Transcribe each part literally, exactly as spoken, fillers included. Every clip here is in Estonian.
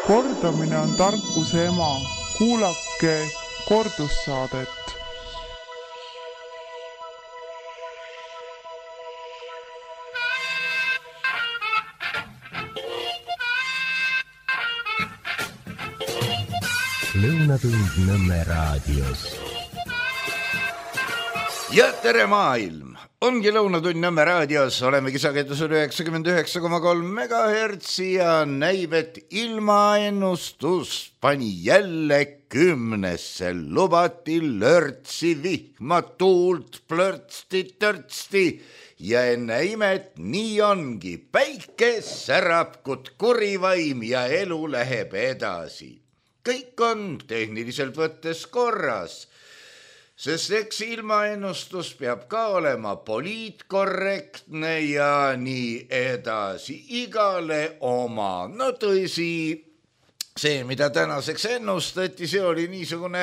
Kordamine on tarkuse ema. Kuulake kordussaadet. Lõunatund Nõmme raadios. Ja tere maailm! Ongi Lõunatund Nõmme raadios, olemegi sagedusel üheksakümmend üheksa koma kolm megahertsi ja näib, et ilmaennustus pani jälle kümnesse, lubati lörtsi, vihma, tuult, plörtsti, törtsti ja enne imet nii ongi. Päike särab, kut kurivaim ja elu läheb edasi. Kõik on tehniliselt võttes korras, sest eks ilmaennustus peab ka olema poliitkorrektne ja nii edasi, igale oma. No tõsi, see, mida tänaseks ennustati, see oli niisugune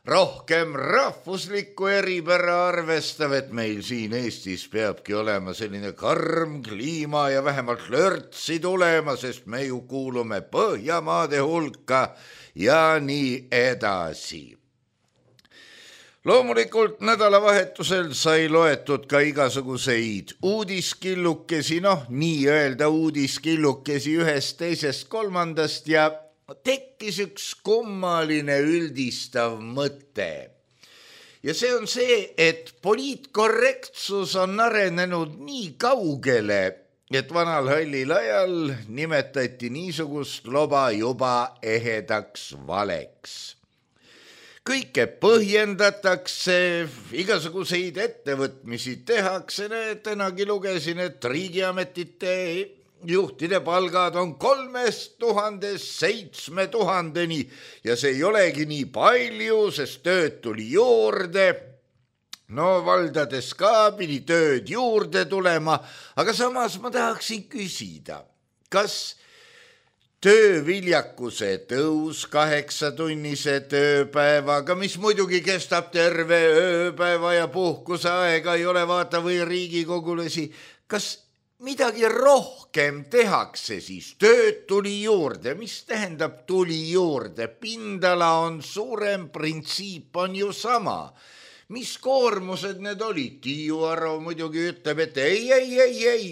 rohkem rahvuslikku eripära arvestav, et meil siin Eestis peabki olema selline karm kliima ja vähemalt lörtsi tulema, sest me ju kuulume Põhjamaade hulka ja nii edasi. Loomulikult nädalavahetusel sai loetud ka igasuguseid uudiskillukesi, noh, nii öelda uudiskillukesi ühest, teisest, kolmandast ja tekkis üks kummaline üldistav mõte. Ja see on see, et poliitkorrektsus on arenenud nii kaugele, et vanal hallil ajal nimetati niisugust loba juba ehedaks valeks. Kõike põhjendatakse, igasuguseid ettevõtmisi tehakse, tänagi lugesin, et riigiametite juhtide palgad on kolmest tuhandest seitsme tuhandeni ja see ei olegi nii palju, sest tööd tuli juurde. No valdades ka pidi tööd juurde tulema, aga samas ma tahaksin küsida, kas tööviljakuse tõus kaheksatunnise tööpäevaga, mis muidugi kestab terve ööpäeva ja puhkuse aega ei ole vaata või riigikogulasi, kas midagi rohkem tehakse siis? Tööd tuli juurde, mis tähendab tuli juurde? Pindala on suurem, printsiip on ju sama. Mis koormused need olid? Tiiu Aro muidugi ütleb, et ei, ei, ei, ei.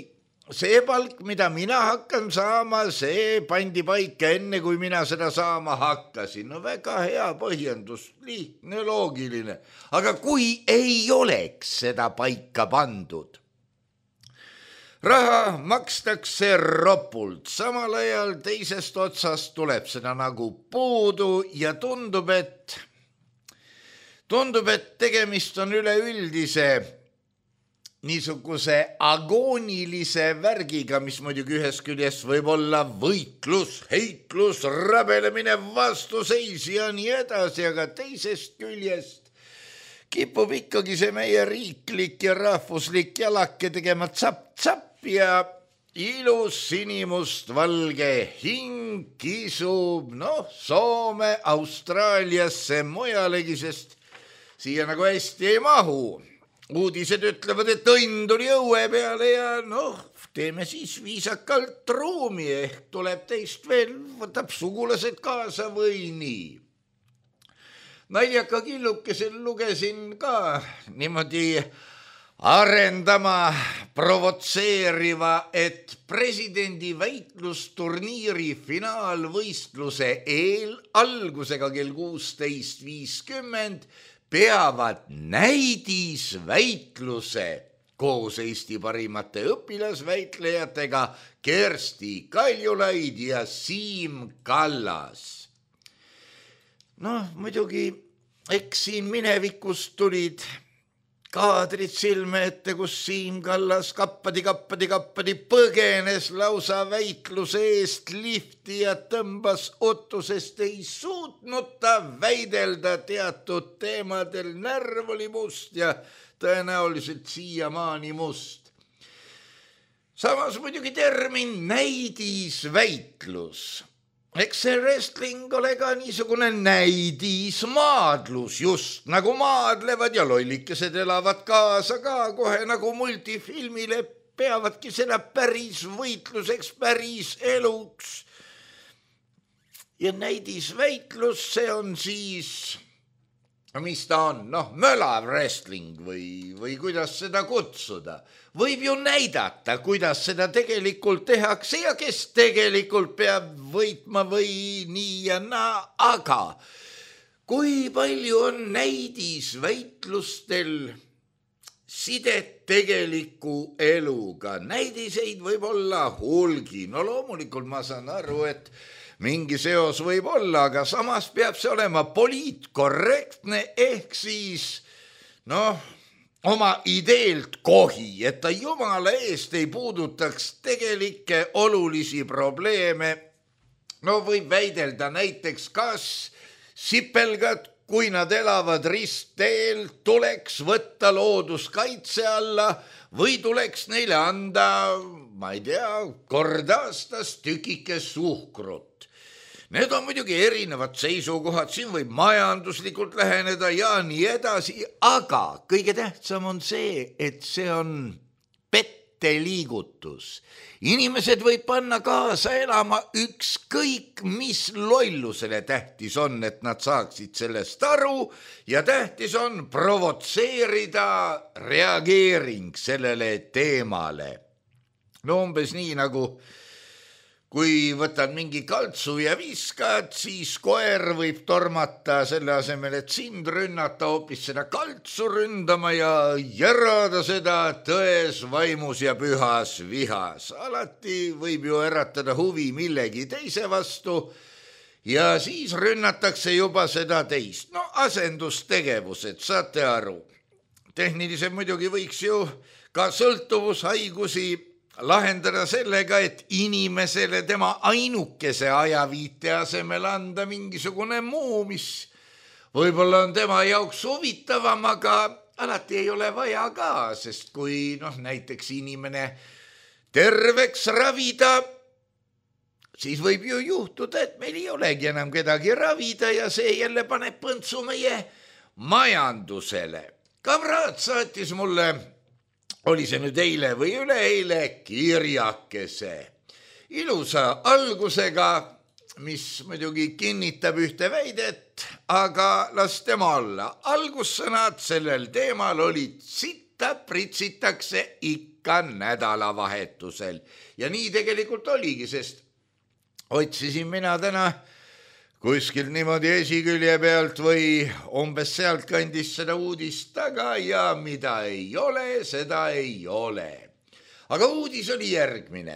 See palk, mida mina hakkan saama, see pandi paika enne, kui mina seda saama hakkasin. No väga hea põhjendus, lihtne, loogiline. Aga kui ei oleks seda paika pandud? Raha makstakse ropult, samal ajal teisest otsast tuleb seda nagu puudu ja tundub, et, tundub, et tegemist on üleüldise niisuguse agoonilise värgiga, mis muidugi ühes küljes võib olla võitlus, heitlus, rabelemine, vastuseis ja nii edasi, aga teisest küljest kipub ikkagi see meie riiklik ja rahvuslik jalake tegema tsapp-tsapp ja ilus sinimust valge hing kisub, noh, Soome, Austraaliasse, mujalegi, sest siia nagu hästi ei mahu. Uudised ütlevad, et õnn tuli õue peale ja noh, teeme siis viisakalt ruumi, ehk tuleb teist veel, võtab sugulased kaasa või nii. Naljaka killukesel lugesin ka niimoodi arendama provotseeriva, et presidendi väitlusturniiri finaalvõistluse eel algusega kell kuusteist viiskümmend peavad näidisväitluse koos Eesti parimate õpilasväitlejatega Kersti Kaljulaid ja Siim Kallas. Noh, muidugi, eks siin minevikus tulid kaadrid silme ette, kus Siim Kallas kappadi, kappadi, kappadi põgenes lausa väitluse eest lifti ja tõmbas otu, sest ei suutnud ta väidelda teatud teemadel. Närv oli must ja tõenäoliselt siiamaani must. Samas muidugi termin näidisväitlus. Eks see wrestling ole ka niisugune näidismaadlus, just nagu maadlevad ja lollikesed elavad kaasa ka kohe nagu multifilmile, peavadki seda päris võitluseks, päris eluks. ja näidisväitlus, see on siis, mis ta on, noh, mölav wrestling või, või kuidas seda kutsuda. Võib ju näidata, kuidas seda tegelikult tehakse ja kes tegelikult peab võitma või nii ja naa, aga kui palju on näidisväitlustel sidet tegeliku eluga. Näidiseid võib olla hulgi. No loomulikult ma saan aru, et mingi seos võib olla, aga samas peab see olema poliitkorrektne ehk siis noh, oma ideelt kohi, et ta jumala eest ei puudutaks tegelikke olulisi probleeme. No võib väidelda näiteks, kas sipelgad, kui nad elavad ristteel, tuleks võtta looduskaitse alla või tuleks neile anda, ma ei tea, kord aastas tükike suhkrut. Need on muidugi erinevad seisukohad, siin võib majanduslikult läheneda ja nii edasi, aga kõige tähtsam on see, et see on petteliigutus. Inimesed võib panna kaasa elama ükskõik, mis lollusele tähtis on, et nad saaksid sellest aru ja tähtis on provotseerida reageering sellele teemale. No umbes nii nagu kui võtad mingi kaltsu ja viskad, siis koer võib tormata selle asemel, et sind rünnata, hoopis seda kaltsu ründama ja järada seda tões, vaimus ja pühas vihas. Alati võib ju äratada huvi millegi teise vastu ja siis rünnatakse juba seda teist. No asendustegevused, saate aru. Tehniliselt muidugi võiks ju ka sõltuvushaigusi lahendada sellega, et inimesele tema ainukese ajaviite asemel anda mingisugune muu, mis võib-olla on tema jaoks huvitavam, aga alati ei ole vaja ka, sest kui noh, näiteks inimene terveks ravida, siis võib ju juhtuda, et meil ei olegi enam kedagi ravida ja see jälle paneb põntsu meie majandusele. Kamraad saatis mulle, oli see nüüd eile või üleeile, kirjakese ilusa algusega, mis muidugi kinnitab ühte väidet, aga las tema olla. Algussõnad sellel teemal olid sitta pritsitakse ikka nädalavahetusel. Ja nii tegelikult oligi, sest otsisin mina täna kuskil niimoodi esikülje pealt või umbes sealt kandis seda uudist taga ja mida ei ole, seda ei ole. Aga uudis oli järgmine.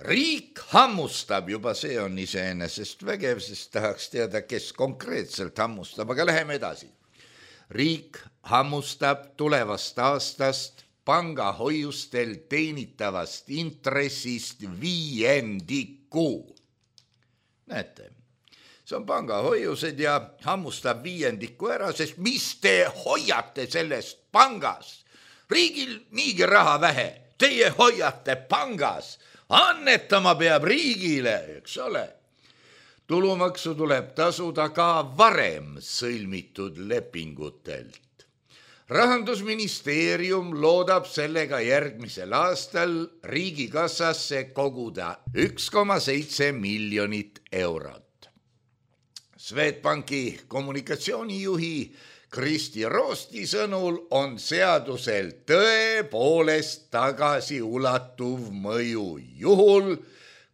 Riik hammustab, juba see on iseenesest vägev, sest tahaks teada, kes konkreetselt hammustab, aga läheme edasi. Riik hammustab tulevast aastast pangahoiustel teenitavast intressist viiendiku. Näete? See on pangahoiused ja hammustab viiendiku ära, sest mis te hoiate sellest pangas? Riigil niigi raha vähe, teie hoiate pangas, annetama peab riigile, eks ole. Tulumaksu tuleb tasuda ka varem sõlmitud lepingutelt. Rahandusministeerium loodab sellega järgmisel aastal riigikassasse koguda üks koma seitse miljonit eurot. Swedbanki kommunikatsioonijuhi Kristi Roosti sõnul on seadusel tõepoolest tagasiulatuv mõju juhul,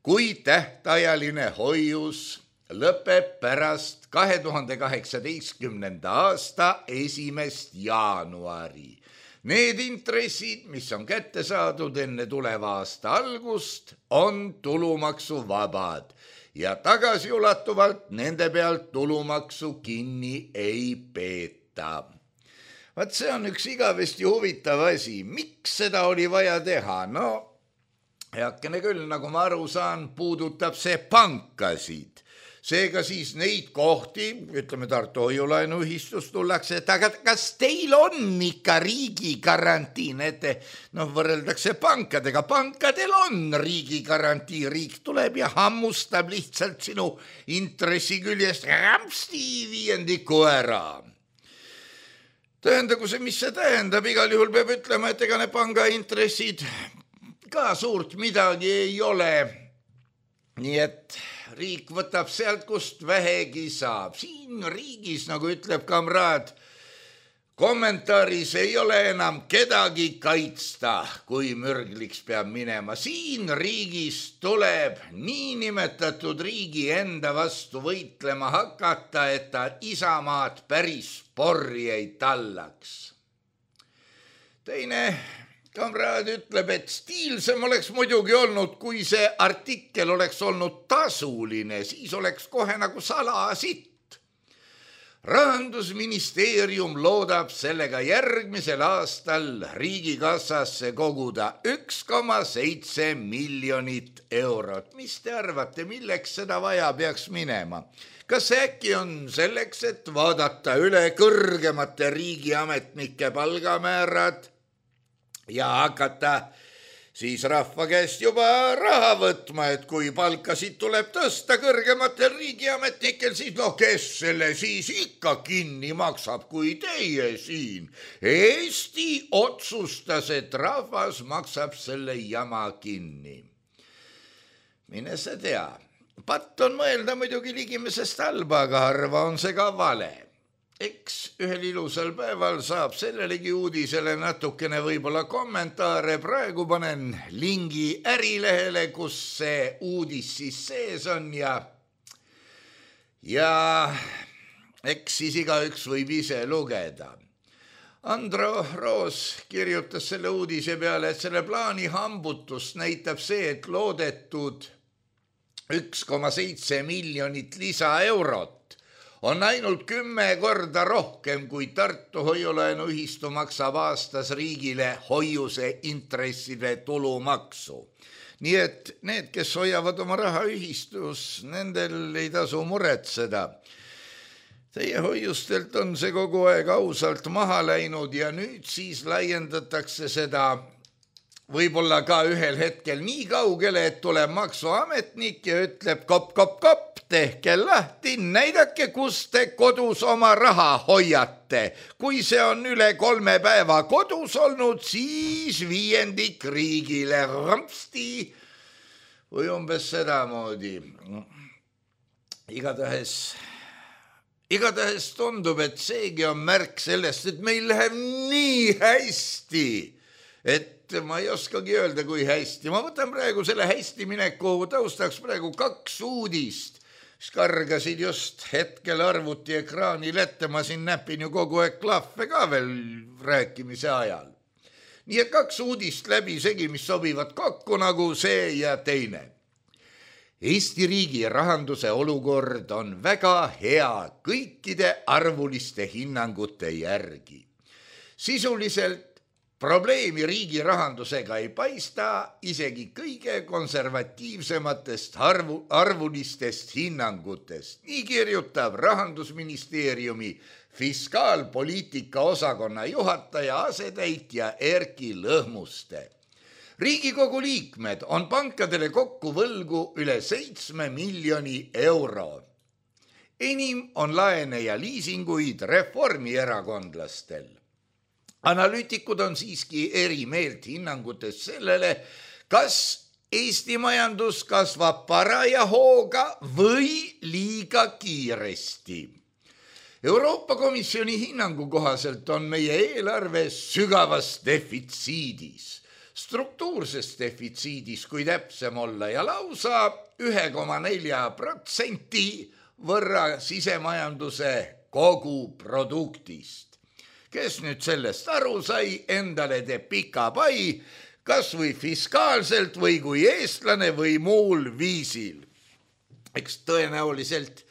kui tähtajaline hoius lõpeb pärast kahe tuhande kaheksateistkümnenda aasta esimest jaanuari. Need intressid, mis on kätte saadud enne tuleva aasta algust, on tulumaksuvabad ja tagasiulatuvalt nende pealt tulumaksu kinni ei peeta. Vaat see on üks igavesti huvitav asi. Miks seda oli vaja teha? No, heakene küll, nagu ma aru saan, puudutab see pankasid. Seega siis neid kohti, ütleme Tartu hoiulaenuühistus tullakse, et aga kas teil on ikka riigi garantii? Näete, noh, võrreldakse pankadega. Pankadel on riigi garantii. Riik tuleb ja hammustab lihtsalt sinu intressi küljest rämpsti viiendiku ära. Tähendagu see, mis see tähendab? Igal juhul peab ütlema, et ega ne panga intressid ka suurt midagi ei ole nii et riik võtab sealt, kust vähegi saab. Siin riigis, nagu ütleb kamraad, kommentaaris ei ole enam kedagi kaitsta, kui mürgliks peab minema. Siin riigis tuleb niinimetatud riigi enda vastu võitlema hakata, et ta isamaad päris porri ei tallaks. Teine kamraad ütleb, et stiilsem oleks muidugi olnud, kui see artikkel oleks olnud tasuline, siis oleks kohe nagu salasitt. Rahandusministeerium loodab sellega järgmisel aastal riigikassasse koguda üks koma seitse miljonit eurot. Mis te arvate, milleks seda vaja peaks minema? Kas äkki on selleks, et vaadata üle kõrgemate riigiametnike palgamäärad ja hakata siis rahva käest juba raha võtma, et kui palkasid tuleb tõsta kõrgematel riigiametnikel, siis noh, kes selle siis ikka kinni maksab, kui teie siin. Eesti otsustas, et rahvas maksab selle jama kinni. Mine sa tea, patt on mõelda muidugi ligimesest halba, aga harva on see ka vale. Eks ühel ilusal päeval saab sellelegi uudisele natukene võib-olla kommentaare. Praegu panen lingi Ärilehele, kus see uudis siis sees on ja, ja eks siis igaüks võib ise lugeda. Andro Roos kirjutas selle uudise peale, et selle plaani hambutust näitab see, et loodetud üks koma seitse miljonit lisaeurot on ainult kümme korda rohkem, kui Tartu hoiulaenuühistu maksab aastas riigile hoiuse intresside tulumaksu. Nii et need, kes hoiavad oma raha ühistus, nendel ei tasu muretseda. Teie hoiustelt on see kogu aeg ausalt maha läinud ja nüüd siis laiendatakse seda võib-olla ka ühel hetkel nii kaugele, et tuleb maksuametnik ja ütleb kop, kop, kop, tehke lahti, näidake, kus te kodus oma raha hoiate. Kui see on üle kolme päeva kodus olnud, siis viiendik riigile rampsti või umbes sedamoodi. Igatahes, igatahes tundub, et seegi on märk sellest, et meil läheb nii hästi, et ma ei oskagi öelda, kui hästi. Ma võtan praegu selle hästi mineku taustaks praegu kaks uudist, mis kargasid just hetkel arvuti ekraanil ette. Ma siin näpin ju kogu aeg klahve ka veel rääkimise ajal. Nii et kaks uudist läbi segi, mis sobivad kokku nagu see ja teine. Eesti riigi rahanduse olukord on väga hea kõikide arvuliste hinnangute järgi. Sisuliselt probleemi riigi rahandusega ei paista isegi kõige konservatiivsematest arvu, arvulistest hinnangutest. Nii kirjutab Rahandusministeeriumi fiskaalpoliitika osakonna juhataja asetäitja Erki Lõhmuste. Riigikogu liikmed on pankadele kokku võlgu üle seitsme miljoni euro. Enim on laene ja liisinguid reformierakondlastel. Analüütikud on siiski eri meelt hinnangutes sellele, kas Eesti majandus kasvab paraja hooga või liiga kiiresti. Euroopa Komisjoni hinnangu kohaselt on meie eelarve sügavas defitsiidis, struktuurses defitsiidis, kui täpsem olla, ja lausa üks koma neli protsenti võrra sisemajanduse kogu produktist. Kes nüüd sellest aru sai, endale teeb pika pai, kas või fiskaalselt või kui eestlane või muul viisil. Eks tõenäoliselt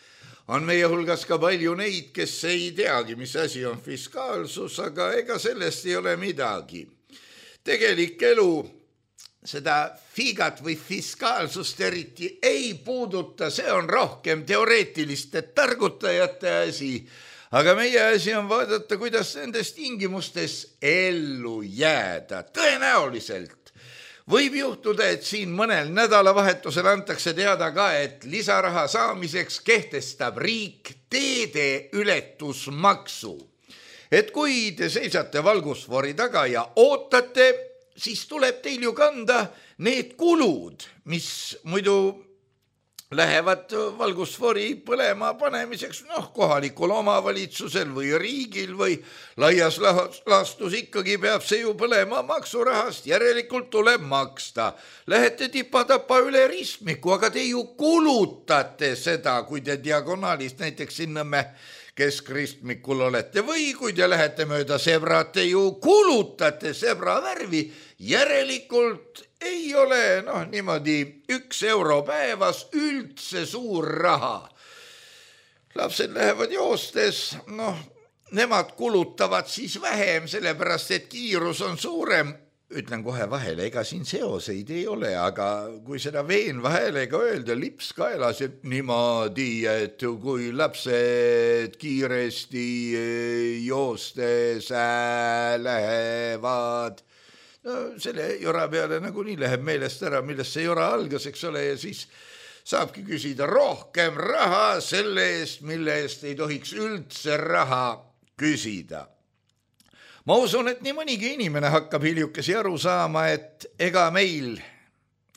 on meie hulgas ka palju neid, kes ei teagi, mis asi on fiskaalsus, aga ega sellest ei ole midagi. Tegelik elu seda fiigat või fiskaalsust eriti ei puuduta, see on rohkem teoreetiliste targutajate asi. Aga meie asi on vaadata, kuidas nendes tingimustes ellu jääda. Tõenäoliselt võib juhtuda, et siin mõnel nädalavahetusel antakse teada ka, et lisaraha saamiseks kehtestab riik teede ületusmaksu. Et kui te seisate valgusfoori taga ja ootate, siis tuleb teil ju kanda need kulud, mis muidu lähevad valgusfoori põlema panemiseks noh, kohalikul omavalitsusel või riigil või laias laastus ikkagi peab see ju põlema maksurahast, järelikult tuleb maksta. Lähete tipa-tapa üle ristmiku, aga te ju kulutate seda, kui te diagonaalist näiteks Nõmme keskristmikul olete või kui te lähete mööda sebrat, te ju kulutate sebra värvi, järelikult ei ole noh niimoodi üks euro päevas üldse suur raha. Lapsed lähevad joostes, noh, nemad kulutavad siis vähem, sellepärast et kiirus on suurem. Ütlen kohe vahele, ega siin seoseid ei ole, aga kui seda veenva häälega öelda lips kaelas, et niimoodi, et kui lapsed kiiresti joostes lähevad, no selle jora peale nagunii läheb meelest ära, millest see jora algas, eks ole, ja siis saabki küsida rohkem raha selle eest, mille eest ei tohiks üldse raha küsida. Ma usun, et nii mõnigi inimene hakkab hiljukesi aru saama, et ega meil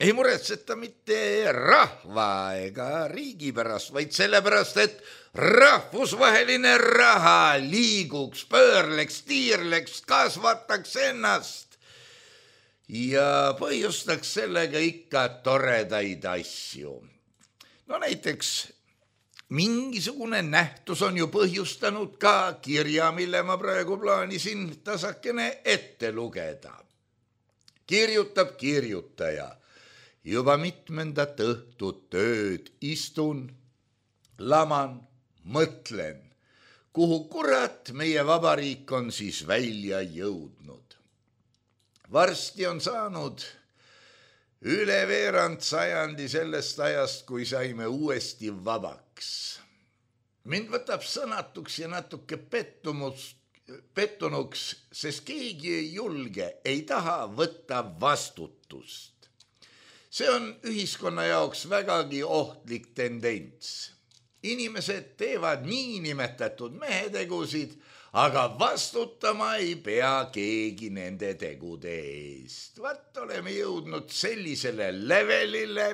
ei muretseta mitte rahva ega riigi pärast, vaid sellepärast, et rahvusvaheline raha liiguks, pöörleks, tiirleks, kasvataks ennast ja põhjustaks sellega ikka toredaid asju. No näiteks mingisugune nähtus on ju põhjustanud ka kirja, mille ma praegu plaanisin tasakene ette lugeda. Kirjutab kirjutaja. Juba mitmendat õhtut tööd istun, laman, mõtlen, kuhu kurat meie vabariik on siis välja jõudnud. Varsti on saanud üle veerand sajandi sellest ajast, kui saime uuesti vabaks. Mind võtab sõnatuks ja natuke pettumus, pettunuks, sest keegi ei julge, ei taha võtta vastutust. See on ühiskonna jaoks vägagi ohtlik tendents. Inimesed teevad niinimetatud mehetegusid, aga vastutama ei pea keegi nende tegude eest. Vaat oleme jõudnud sellisele levelile,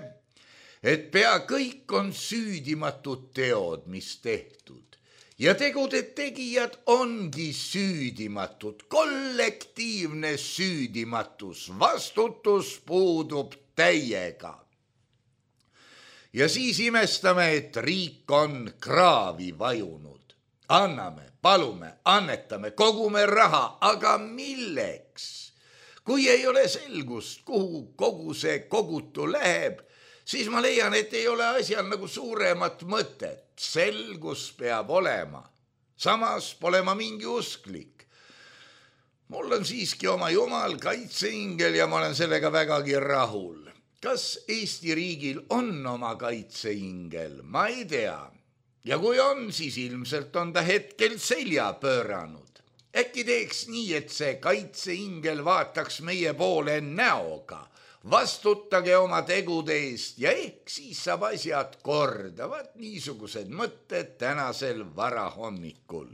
et pea kõik on süüdimatud teod, mis tehtud. Ja tegude tegijad ongi süüdimatud, kollektiivne süüdimatus, vastutus puudub täiega. Ja siis imestame, et riik on kraavi vajunud. Anname, palume, annetame, kogume raha, aga milleks? Kui ei ole selgust, kuhu kogu see kogutu läheb, siis ma leian, et ei ole asjal nagu suuremat mõtet. Selgus peab olema. Samas pole ma mingi usklik. Mul on siiski oma jumal, kaitseingel ja ma olen sellega vägagi rahul. Kas Eesti riigil on oma kaitseingel? Ma ei tea. Ja kui on, siis ilmselt on ta hetkel selja pööranud. Äkki teeks nii, et see kaitseingel vaataks meie poole näoga. Vastutage oma tegude eest ja ehk siis saab asjad korda. Vaat niisugused mõtted tänasel varahommikul.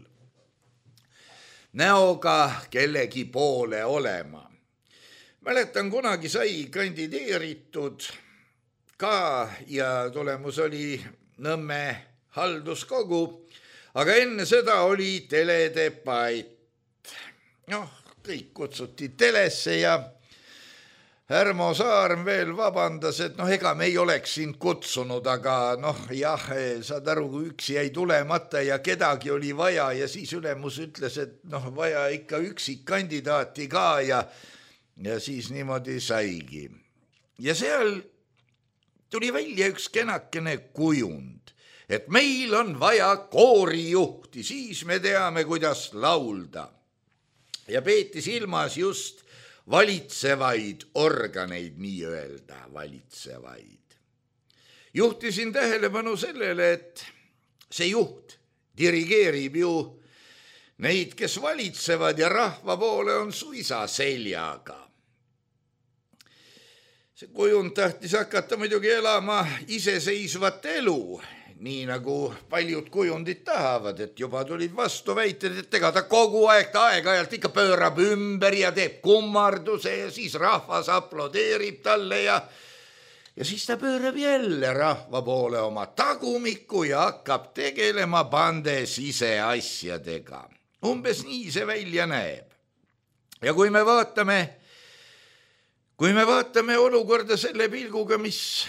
Näoga kellegi poole olema. Mäletan, kunagi sai kandideeritud ka ja tulemus oli Nõmme halduskogu, aga enne seda oli teledebatt. Noh, kõik kutsuti telesse ja Härmo Saarm veel vabandas, et noh, ega me ei oleks sind kutsunud, aga noh, jah, saad aru, kui üksi jäi tulemata ja kedagi oli vaja ja siis ülemus ütles, et noh, vaja ikka üksik kandidaati ka ja, ja siis niimoodi saigi. Ja seal tuli välja üks kenakene kujund, et meil on vaja koorijuhti, siis me teame, kuidas laulda. Ja peeti silmas just valitsevaid organeid, nii öelda valitsevaid. Juhtisin tähelepanu sellele, et see juht dirigeerib ju neid, kes valitsevad ja rahva poole on suisa seljaga. See kujund tahtis hakata muidugi elama iseseisvat elu, nii nagu paljud kujundid tahavad, et juba tulid vastu väited, et ega ta kogu aeg ta aeg-ajalt ikka pöörab ümber ja teeb kummarduse ja siis rahvas aplodeerib talle ja ja siis ta pöörab jälle rahva poole oma tagumikku ja hakkab tegelema pande siseasjadega. Umbes nii see välja näeb. Ja kui me vaatame, kui me vaatame olukorda selle pilguga, mis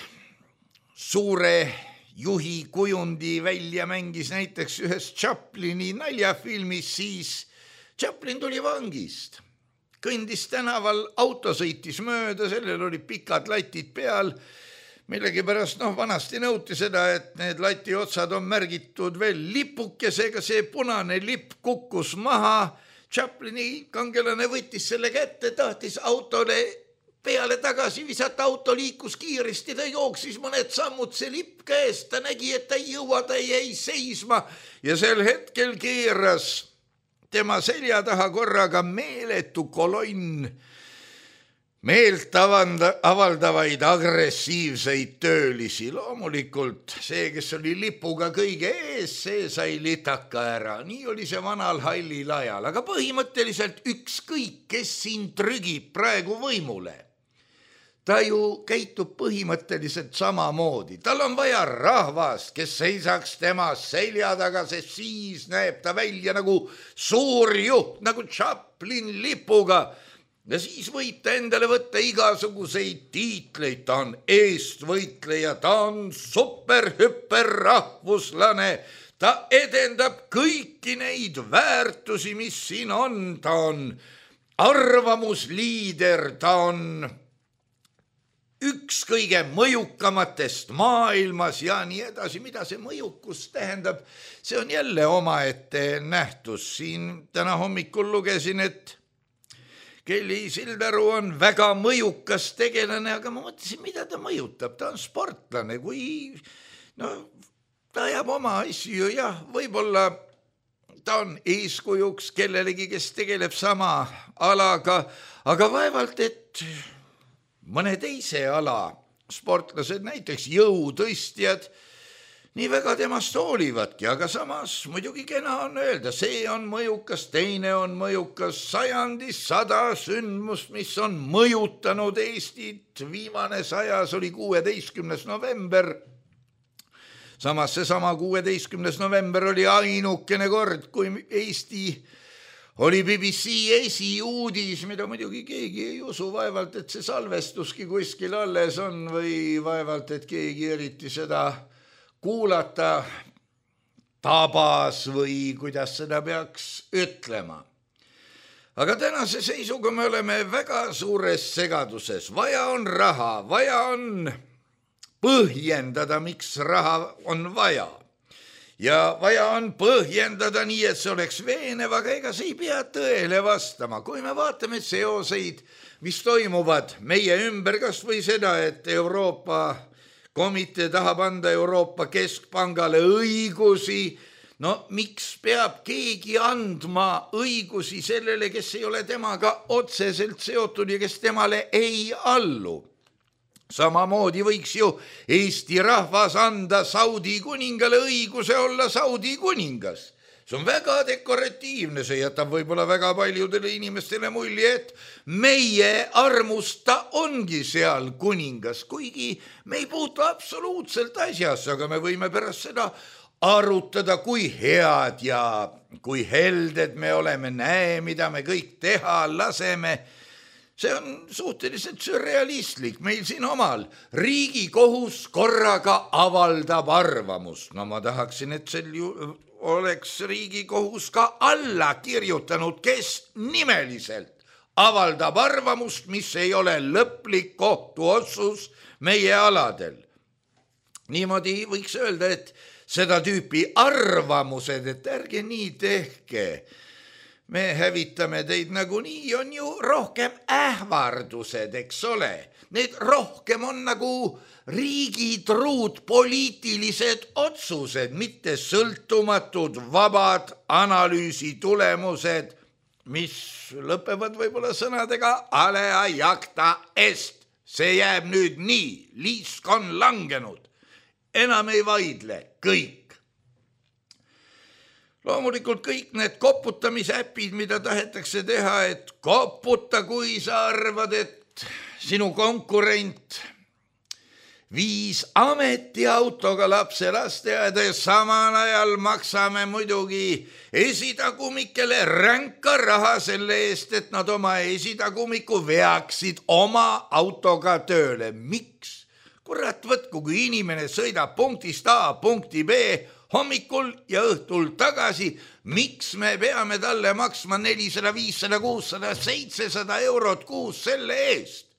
suure juhi kujundi välja mängis näiteks ühes Chaplini naljafilmis, siis Chaplin tuli vangist. Kõndis tänaval, auto sõitis mööda, sellel oli pikad latid peal, millegi pärast noh, vanasti nõuti seda, et need lati otsad on märgitud veel lipukesega, see punane lipp kukkus maha. Chaplini kangelane võttis selle kätte, tahtis autole peale tagasi visata, auto liikus kiiresti, ta jooksis mõned sammud, see lipp käest, ta nägi, et ta ei jõua, ta jäi seisma ja sel hetkel keeras tema selja taha korraga meeletu kolonn meelt avaldavaid agressiivseid töölisi. Loomulikult see, kes oli lipuga kõige ees, see sai litaka ära. Nii oli see vanal hallil ajal, aga põhimõtteliselt ükskõik, kes siin trügib praegu võimule. Ta ju käitub põhimõtteliselt samamoodi. Tal on vaja rahvast, kes seisaks tema selja taga, sest siis näeb ta välja nagu suur juht, nagu Chaplin lipuga. Ja siis võib ta endale võtta igasuguseid tiitleid, ta on eestvõitleja, ta on superhüperrahvuslane, ta edendab kõiki neid väärtusi, mis siin on, ta on arvamusliider, ta on üks kõige mõjukamatest maailmas ja nii edasi, mida see mõjukus tähendab, see on jälle omaette nähtus. Siin täna hommikul lugesin, et Kelly Sildaru on väga mõjukas tegelane, aga ma mõtlesin, mida ta mõjutab. Ta on sportlane, kui no, ta jääb oma asju, jah, võib-olla ta on eeskujuks kellelegi, kes tegeleb sama alaga, aga vaevalt, et mõne teise ala sportlased, näiteks jõutõstjad, nii väga temast hoolivadki, aga samas muidugi kena on öelda, see on mõjukas, teine on mõjukas, sajandis sada sündmust, mis on mõjutanud Eestit. Viimane sajas oli kuueteistkümnes november. Samas seesama kuueteistkümnes november oli ainukene kord, kui Eesti oli B B C esiuudis, mida muidugi keegi ei usu, vaevalt, et see salvestuski kuskil alles on või vaevalt, et keegi eriti seda kuulata tabas või kuidas seda peaks ütlema. Aga tänase seisuga me oleme väga suures segaduses. Vaja on raha, vaja on põhjendada, miks raha on vaja. Ja vaja on põhjendada nii, et see oleks veenev, aga ega see ei pea tõele vastama. Kui me vaatame seoseid, mis toimuvad meie ümber, kas või seda, et Euroopa komitee tahab anda Euroopa Keskpangale õigusi. No miks peab keegi andma õigusi sellele, kes ei ole temaga otseselt seotud ja kes temale ei allu? Samamoodi võiks ju Eesti rahvas anda Saudi kuningale õiguse olla Saudi kuningas. See on väga dekoratiivne, see jätab võib-olla väga paljudele inimestele mulje, et meie armust ta ongi seal kuningas, kuigi me ei puutu absoluutselt asjasse, aga me võime pärast seda arutada, kui head ja kui helded me oleme, näe, mida me kõik teha laseme. See on suhteliselt surrealistlik meil siin omal. Riigikohus korraga avaldab arvamust. No ma tahaksin, et sel ju oleks Riigikohus ka alla kirjutanud, kes nimeliselt avaldab arvamust, mis ei ole lõplik kohtuotsus meie aladel. Niimoodi võiks öelda, et seda tüüpi arvamused, et ärge nii tehke, me hävitame teid nagunii, on ju rohkem ähvardused, eks ole. Need rohkem on nagu riigitruud poliitilised otsused, mitte sõltumatud vabad analüüsi tulemused, mis lõpevad võib-olla sõnadega alea jacta est. See jääb nüüd nii, liisk on langenud. Enam ei vaidle, kõik. Loomulikult kõik need koputamisäpid, mida tahetakse teha, et koputa, kui sa arvad, et sinu konkurent viis ametiautoga lapse lasteaeda ja samal ajal maksame muidugi esitagumikele ränka raha selle eest, et nad oma esitagumiku veaksid oma autoga tööle. Miks? Kurat võtku, kui inimene sõidab punktist A punkti B hommikul ja õhtul tagasi, miks me peame talle maksma nelisada, viissada, kuussada, seitsesada eurot kuus selle eest?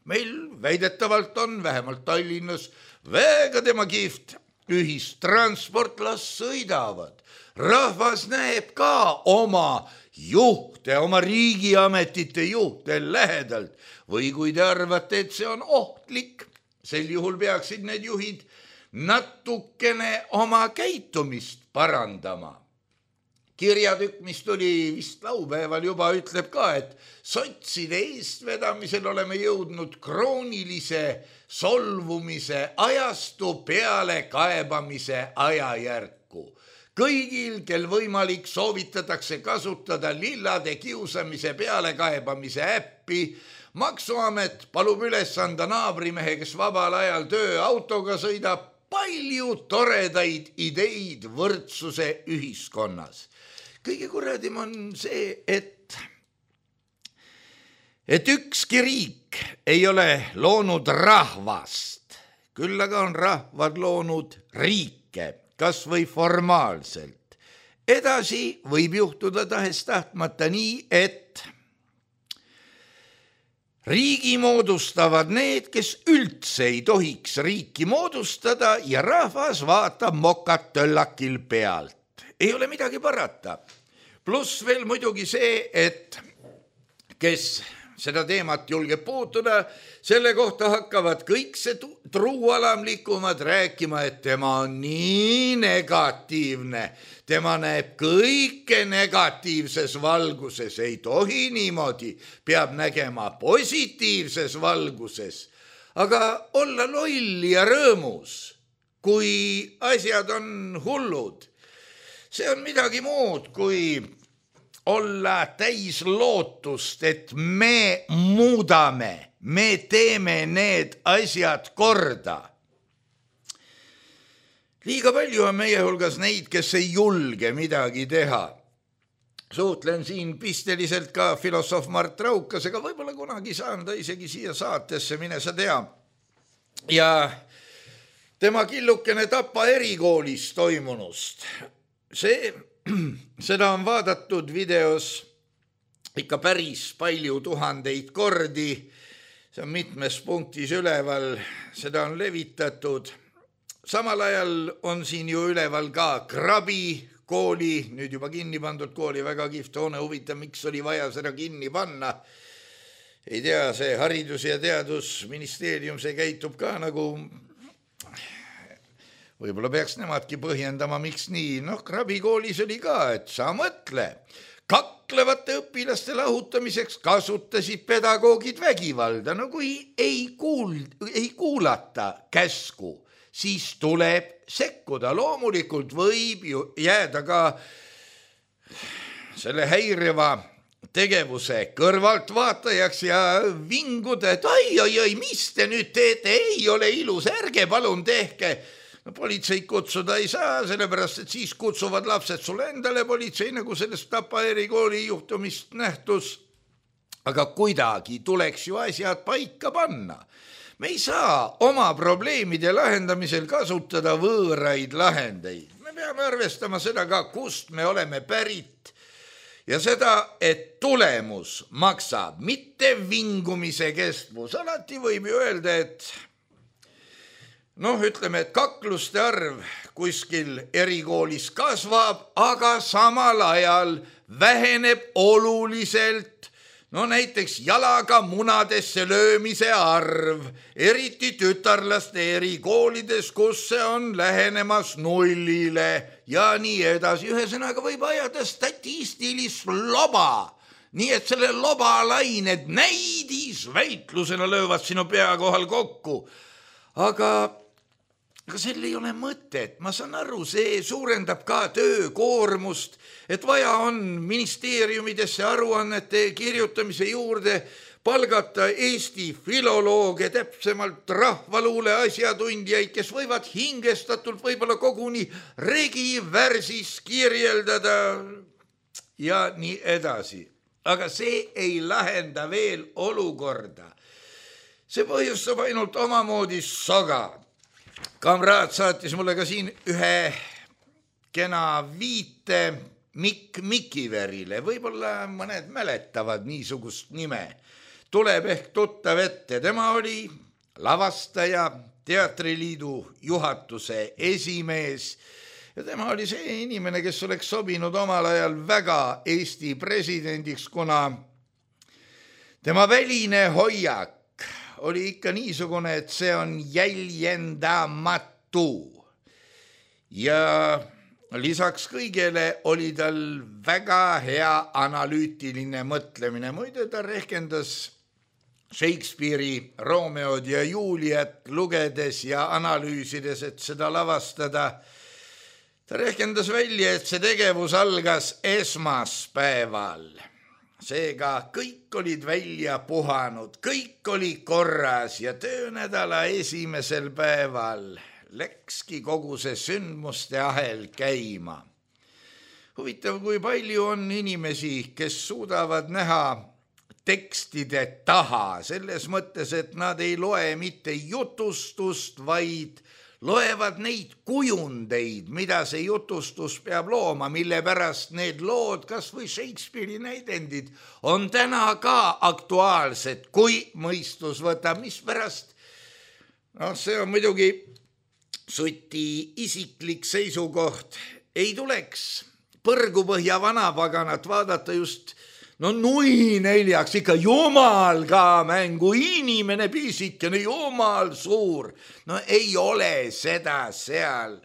Meil väidetavalt on vähemalt Tallinnas väga tema kihvt ühistransport, las sõidavad. Rahvas näeb ka oma juhte, oma riigiametite juhte lähedalt. Või kui te arvate, et see on ohtlik, sel juhul peaksid need juhid natukene oma käitumist parandama. Kirjatükk, mis tuli vist laupäeval juba, ütleb ka, et sotside eestvedamisel oleme jõudnud kroonilise solvumise ajastu peale kaebamise ajajärku. Kõigil, kel võimalik, soovitatakse kasutada lillade kiusamise peale kaebamise äppi. Maksuamet palub üles anda naabrimehe, kes vabal ajal tööautoga sõidab, palju toredaid ideid võrdsuse ühiskonnas. Kõige kurradim on see, et, et ükski riik ei ole loonud rahvast, küll aga on rahvad loonud riike, kas või formaalselt. Edasi võib juhtuda tahes tahtmata nii, et riigi moodustavad need, kes üldse ei tohiks riiki moodustada ja rahvas vaatab mokat töllakil pealt. Ei ole midagi parata. Pluss veel muidugi see, et kes seda teemat julgeb puutuda, selle kohta hakkavad kõik see truualamlikumad rääkima, et tema on nii negatiivne. Tema näeb kõike negatiivses valguses, ei tohi niimoodi, peab nägema positiivses valguses. Aga olla loll ja rõõmus, kui asjad on hullud, see on midagi muud, kui olla täis lootust, et me muudame, me teeme need asjad korda. Liiga palju on meie hulgas neid, kes ei julge midagi teha. Suhtlen siin pisteliselt ka filosoof Mart Raukasega, võib-olla kunagi saan ta isegi siia saatesse, mine sa tea. Ja tema killukene Tapa erikoolis toimunust. See, seda on vaadatud videos ikka päris palju tuhandeid kordi, see on mitmes punktis üleval, seda on levitatud. Samal ajal on siin ju üleval ka Krabi kooli, nüüd juba kinni pandud kooli, väga kihvt hoone, huvitav, miks oli vaja seda kinni panna. Ei tea, see haridus- ja teadusministeerium, see käitub ka nagu... Võib-olla peaks nemadki põhjendama, miks nii. Noh, Krabi koolis oli ka, et sa mõtle. Kaklevate õpilaste lahutamiseks kasutasid pedagoogid vägivalda. No kui ei, kuul, ei kuulata käsku, siis tuleb sekkuda. Loomulikult võib ju jääda ka selle häiriva tegevuse kõrvalt vaatajaks ja vinguda, et ai, ai, ai, mis te nüüd teete, ei ole ilus, ärge palun tehke. No, politseid kutsuda ei saa, sellepärast, et siis kutsuvad lapsed sulle endale politsei, nagu sellest Tapa erikooli juhtumist nähtus. Aga kuidagi tuleks ju asjad paika panna. Me ei saa oma probleemide lahendamisel kasutada võõraid lahendeid. Me peame arvestama seda ka, kust me oleme pärit ja seda, et tulemus maksab, mitte vingumise kestvus. Alati võib ju öelda, et noh, ütleme, et kakluste arv kuskil erikoolis kasvab, aga samal ajal väheneb oluliselt, no näiteks jalaga munadesse löömise arv, eriti tütarlaste erikoolides, kus see on lähenemas nullile ja nii edasi. Ühesõnaga võib ajada statistilist loba, nii et selle lobalained näidisväitlusena löövad sinu pea kohal kokku. Aga Aga sel ei ole mõtet, ma saan aru, see suurendab ka töökoormust, et vaja on ministeeriumidesse aruannete kirjutamise juurde palgata Eesti filolooge, täpsemalt rahvaluule asjatundjaid, kes võivad hingestatult võib-olla koguni regivärsis kirjeldada ja nii edasi. Aga see ei lahenda veel olukorda. See põhjustab ainult omamoodi soga. Kamraad saatis mulle ka siin ühe kena viite Mikk Mikiverile. Võib-olla mõned mäletavad niisugust nime. Tuleb ehk tuttav ette. Tema oli lavastaja, Teatriliidu juhatuse esimees ja tema oli see inimene, kes oleks sobinud omal ajal väga Eesti presidendiks, kuna tema väline hoiak oli ikka niisugune, et see on jäljendamatu. Ja lisaks kõigele oli tal väga hea analüütiline mõtlemine. Muide, ta rehkendas Shakespeare'i Romeod ja Juliet lugedes ja analüüsides, et seda lavastada. Ta rehkendas välja, et see tegevus algas esmaspäeval. Seega kõik olid välja puhanud, kõik oli korras ja töönädala esimesel päeval läkski kogu see sündmuste ahel käima. Huvitav, kui palju on inimesi, kes suudavad näha tekstide taha, selles mõttes, et nad ei loe mitte jutustust, vaid loevad neid kujundeid, mida see jutustus peab looma, mille pärast need lood, kas või Shakespeare'i näidendid, on täna ka aktuaalsed, kui mõistus võtab, mis pärast. No see on muidugi Suti isiklik seisukoht. Ei tuleks Põrgupõhja vanapaganat vaadata just no nui neljaks, ikka jumal ka mängu, inimene pisikene, jumal suur. No ei ole seda seal.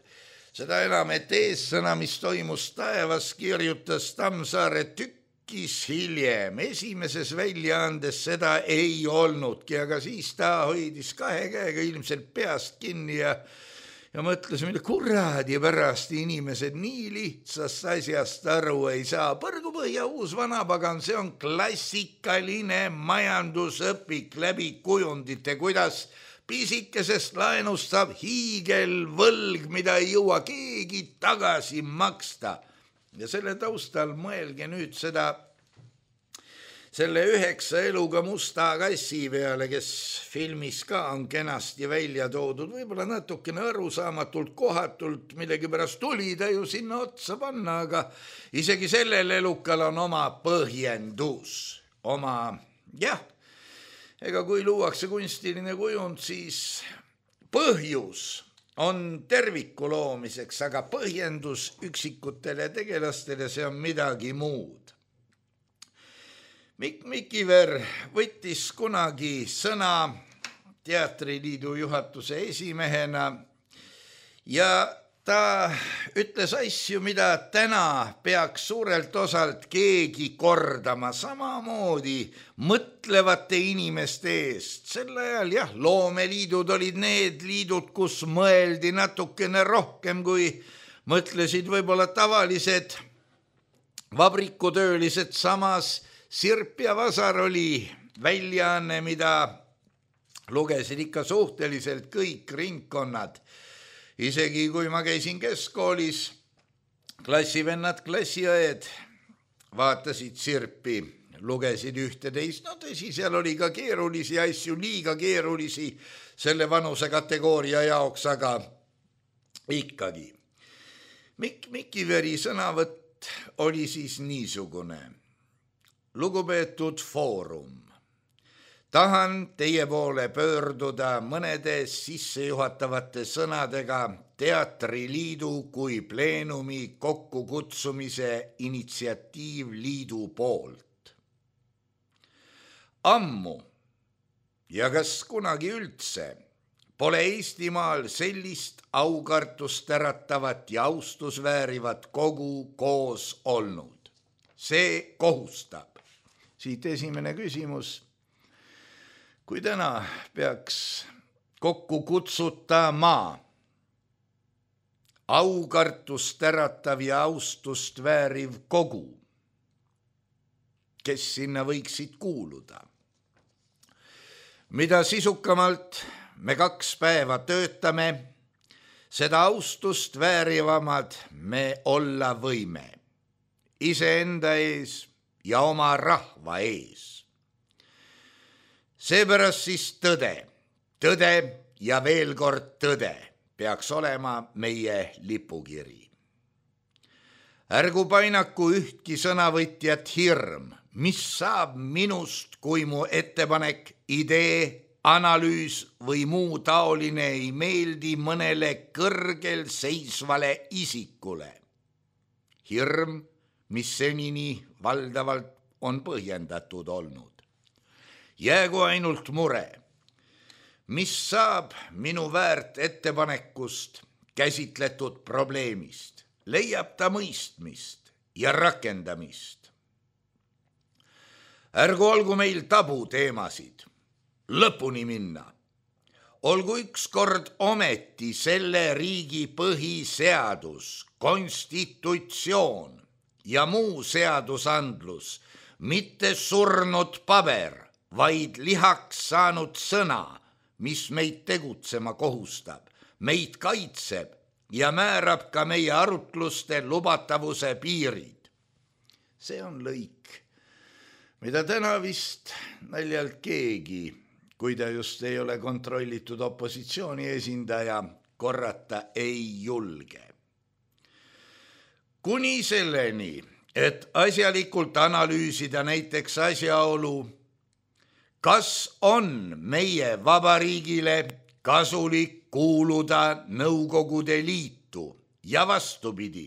Seda enam, et eessõna, mis toimus taevas, kirjutas Tammsaare tükkis hiljem. Esimeses väljaandes seda ei olnudki, aga siis ta hoidis kahe käega ilmselt peast kinni ja Ja mõtles, mille kuradi pärast inimesed nii lihtsast asjast aru ei saa. Põrgupõhja uus vanapagan, see on klassikaline majandusõpik läbi kujundite, kuidas pisikesest laenust saab hiigelvõlg, mida ei jõua keegi tagasi maksta. Ja selle taustal mõelge nüüd seda selle üheksa eluga musta kassi peale, kes filmis ka on kenasti välja toodud, võib-olla natukene arusaamatult, kohatult, millegi pärast tuli ta ju sinna otsa panna, aga isegi sellel elukal on oma põhjendus, oma, jah, ega kui luuakse kunstiline kujund, siis põhjus on terviku loomiseks, aga põhjendus üksikutele tegelastele, see on midagi muud. Mikk Mikiver võttis kunagi sõna Teatriliidu juhatuse esimehena ja ta ütles asju, mida täna peaks suurelt osalt keegi kordama samamoodi mõtlevate inimeste eest. Sel ajal jah, loomeliidud olid need liidud, kus mõeldi natukene rohkem, kui mõtlesid võib-olla tavalised vabrikutöölised, samas Sirp ja Vasar oli väljaanne, mida lugesid ikka suhteliselt kõik ringkonnad. Isegi kui ma käisin keskkoolis, klassivennad, klassiõed vaatasid Sirpi, lugesid ühte-teist. No tõsi, seal oli ka keerulisi asju, liiga keerulisi selle vanuse kategooria jaoks, aga ikkagi. Mikk Mikiveri sõnavõtt oli siis niisugune. Lugupeetud foorum, tahan teie poole pöörduda mõnede sissejuhatavate sõnadega Teatriliidu kui pleenumi kokkukutsumise initsiatiivliidu poolt. Ammu ja kas kunagi üldse pole Eestimaal sellist aukartust äratavat ja austusväärivat kogu koos olnud. See kohustab. Siit esimene küsimus. Kui täna peaks kokku kutsutama aukartust äratav ja austust vääriv kogu, kes sinna võiksid kuuluda? mida sisukamalt me kaks päeva töötame, seda austust väärivamad me olla võime, iseenda ees ja oma rahva ees. Seepärast siis tõde, tõde ja veel kord tõde peaks olema meie lipukiri. Ärgu painaku ühtki sõnavõtjat hirm, mis saab minust, kui mu ettepanek, idee, analüüs või muu taoline ei meeldi mõnele kõrgel seisvale isikule. Hirm, mis senini valdavalt on põhjendatud olnud. Jäägu ainult mure, mis saab minu väärt ettepanekust käsitletud probleemist, leiab ta mõistmist ja rakendamist. Ärgu olgu meil tabuteemasid lõpuni minna. Olgu ükskord ometi selle riigi põhiseadus, konstitutsioon ja muu seadusandlus mitte surnud paber, vaid lihaks saanud sõna, mis meid tegutsema kohustab, meid kaitseb ja määrab ka meie arutluste lubatavuse piirid. See on lõik, mida täna vist naljalt keegi, kui ta just ei ole kontrollitud opositsiooni esindaja, korrata ei julge. Kuni selleni, et asjalikult analüüsida näiteks asjaolu, kas on meie vabariigile kasulik kuuluda Nõukogude Liitu ja vastupidi,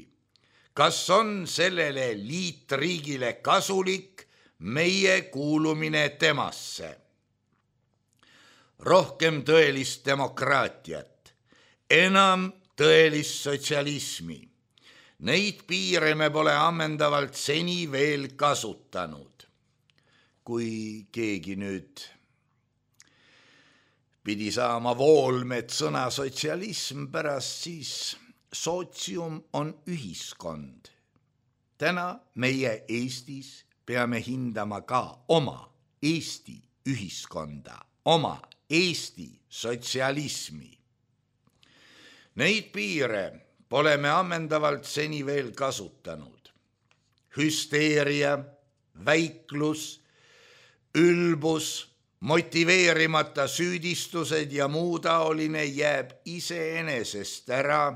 kas on sellele liitriigile kasulik meie kuulumine temasse. Rohkem tõelist demokraatiat, enam tõelist sotsialismi. Neid piire me pole ammendavalt seni veel kasutanud. Kui keegi nüüd pidi saama voolmet sõna sotsialism pärast, siis sootsium on ühiskond. Täna meie Eestis peame hindama ka oma Eesti ühiskonda, oma Eesti sotsialismi. Neid piire pole me ammendavalt seni veel kasutanud. Hüsteeria, väiklus, ülbus, motiveerimata süüdistused ja muu taoline jääb iseenesest ära,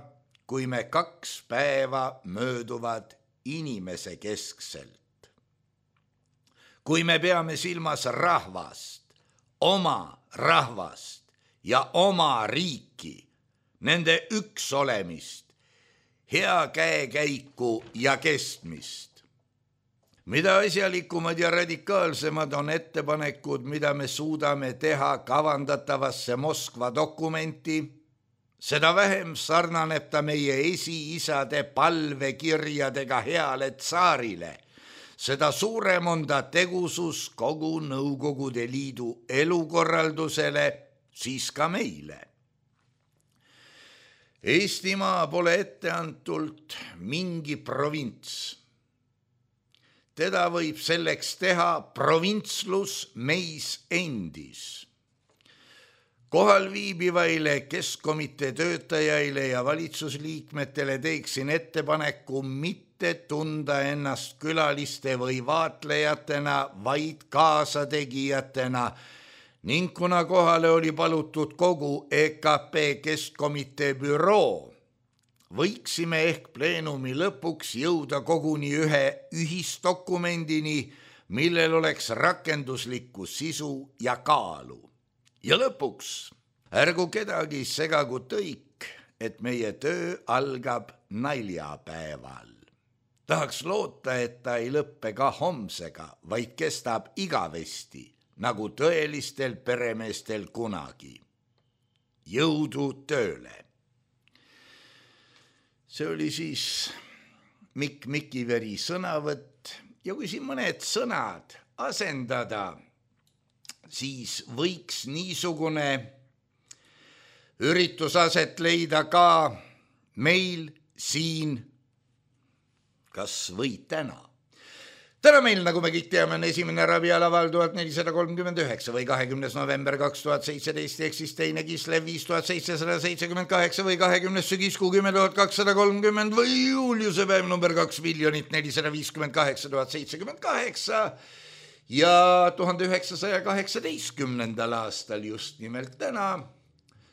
kui me kaks päeva mööduvad inimese keskselt. Kui me peame silmas rahvast, oma rahvast ja oma riiki, nende üks olemist, hea käekäiku ja kestmist. Mida asjalikumad ja radikaalsemad on ettepanekud, mida me suudame teha kavandatavasse Moskva dokumenti, seda vähem sarnaneb ta meie esiisade palvekirjadega heale tsaarile, seda suurem on ta tegusus kogu Nõukogude Liidu elukorraldusele, siis ka meile. Eestimaa pole etteantult mingi provints. Teda võib selleks teha provintslus meis endis. Kohal viibivaile keskkomitee töötajaile ja valitsusliikmetele teeksin ettepaneku mitte tunda ennast külaliste või vaatlejatena, vaid kaasategijatena, ning kuna kohale oli palutud kogu E K P keskkomitee büroo, võiksime ehk pleenumi lõpuks jõuda koguni ühe ühisdokumendini, millel oleks rakenduslikku sisu ja kaalu. Ja lõpuks ärgu kedagi segagu tõik, et meie töö algab naljapäeval. Tahaks loota, et ta ei lõppe ka homsega, vaid kestab igavesti, nagu tõelistel peremeestel kunagi. Jõudu tööle! See oli siis Mikk Mikiveri sõnavõtt ja kui siin mõned sõnad asendada, siis võiks niisugune üritus aset leida ka meil siin, kas või täna. täna meil, nagu me kõik teame, on esimene rabialaval tuhat nelisada kolmkümmend üheksa või kahekümnes november kaks tuhat seitseteist ehk siis teine Kislev viis tuhat seitsesada seitsekümmend kaheksa või kahekümnes sügiskuu kümme tuhat kakssada kolmkümmend või juuliuse päev number kaks miljonit nelisada viiskümmend kaheksa tuhat seitsekümmend kaheksa ja tuhande üheksasaja kaheksateistkümnendal aastal just nimelt täna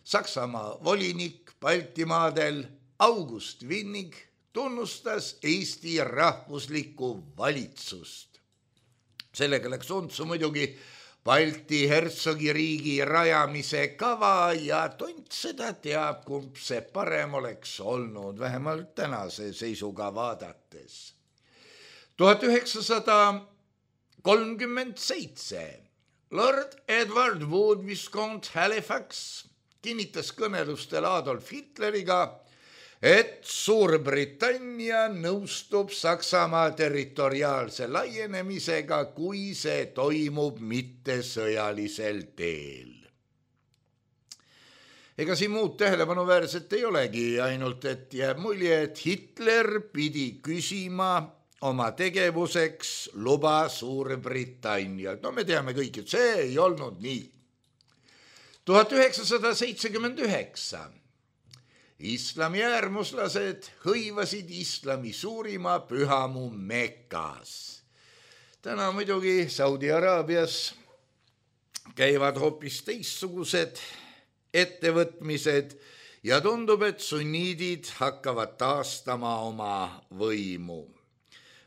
Saksamaa volinik Baltimaadel August Winnig tunnustas Eesti rahvuslikku valitsust. Sellega läks untsu muidugi Balti hertsogiriigi rajamise kava ja tont seda teab, kumb see parem oleks olnud, vähemalt tänase seisuga vaadates. tuhat üheksasada kolmkümmend seitse Lord Edward Wood Viscount Halifax kinnitas kõnelustel Adolf Hitleriga, et Suurbritannia nõustub Saksamaa territoriaalse laienemisega, kui see toimub mittesõjalisel teel. Ega siin muud tähelepanuväärset ei olegi, ainult et jääb mulje, et Hitler pidi küsima oma tegevuseks luba Suurbritannialt. No me teame kõik, et see ei olnud nii. tuhat üheksasada seitsekümmend üheksa Islami äärmuslased hõivasid islami suurima pühamu Mekas. Täna muidugi Saudi Araabias käivad hoopis teistsugused ettevõtmised ja tundub, et sunniidid hakkavad taastama oma võimu.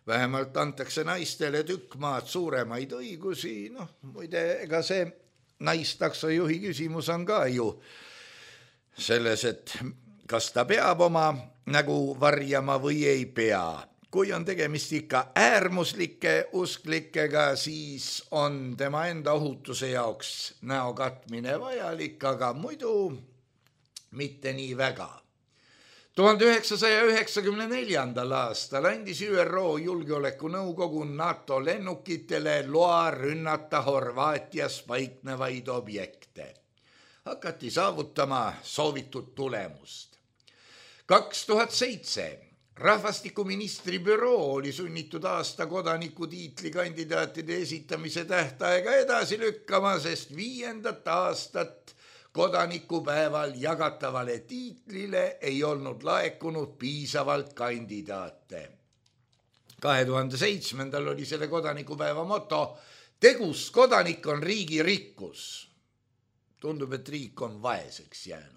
Vähemalt antakse naistele tükk maad suuremaid õigusi, noh, muide, ega see naistaksojuhi küsimus on ka ju selles, et kas ta peab oma nägu varjama või ei pea. Kui on tegemist ikka äärmuslike usklikega, siis on tema enda ohutuse jaoks näo katmine vajalik, aga muidu mitte nii väga. tuhande üheksasaja üheksakümne neljandal aastal andis Ü R O Julgeolekunõukogu NATO lennukitele loa rünnata Horvaatias paiknevaid objekte. Hakati saavutama soovitud tulemust. kaks tuhat seitse rahvastikuministri büroo oli sunnitud aasta kodaniku tiitli kandidaatide esitamise tähtaega edasi lükkama, sest viiendat aastat kodanikupäeval jagatavale tiitlile ei olnud laekunud piisavalt kandidaate. kahe tuhande seitsmendal oli selle kodanikupäeva moto tegus kodanik on riigi rikkus. Tundub, et riik on vaeseks jäänud.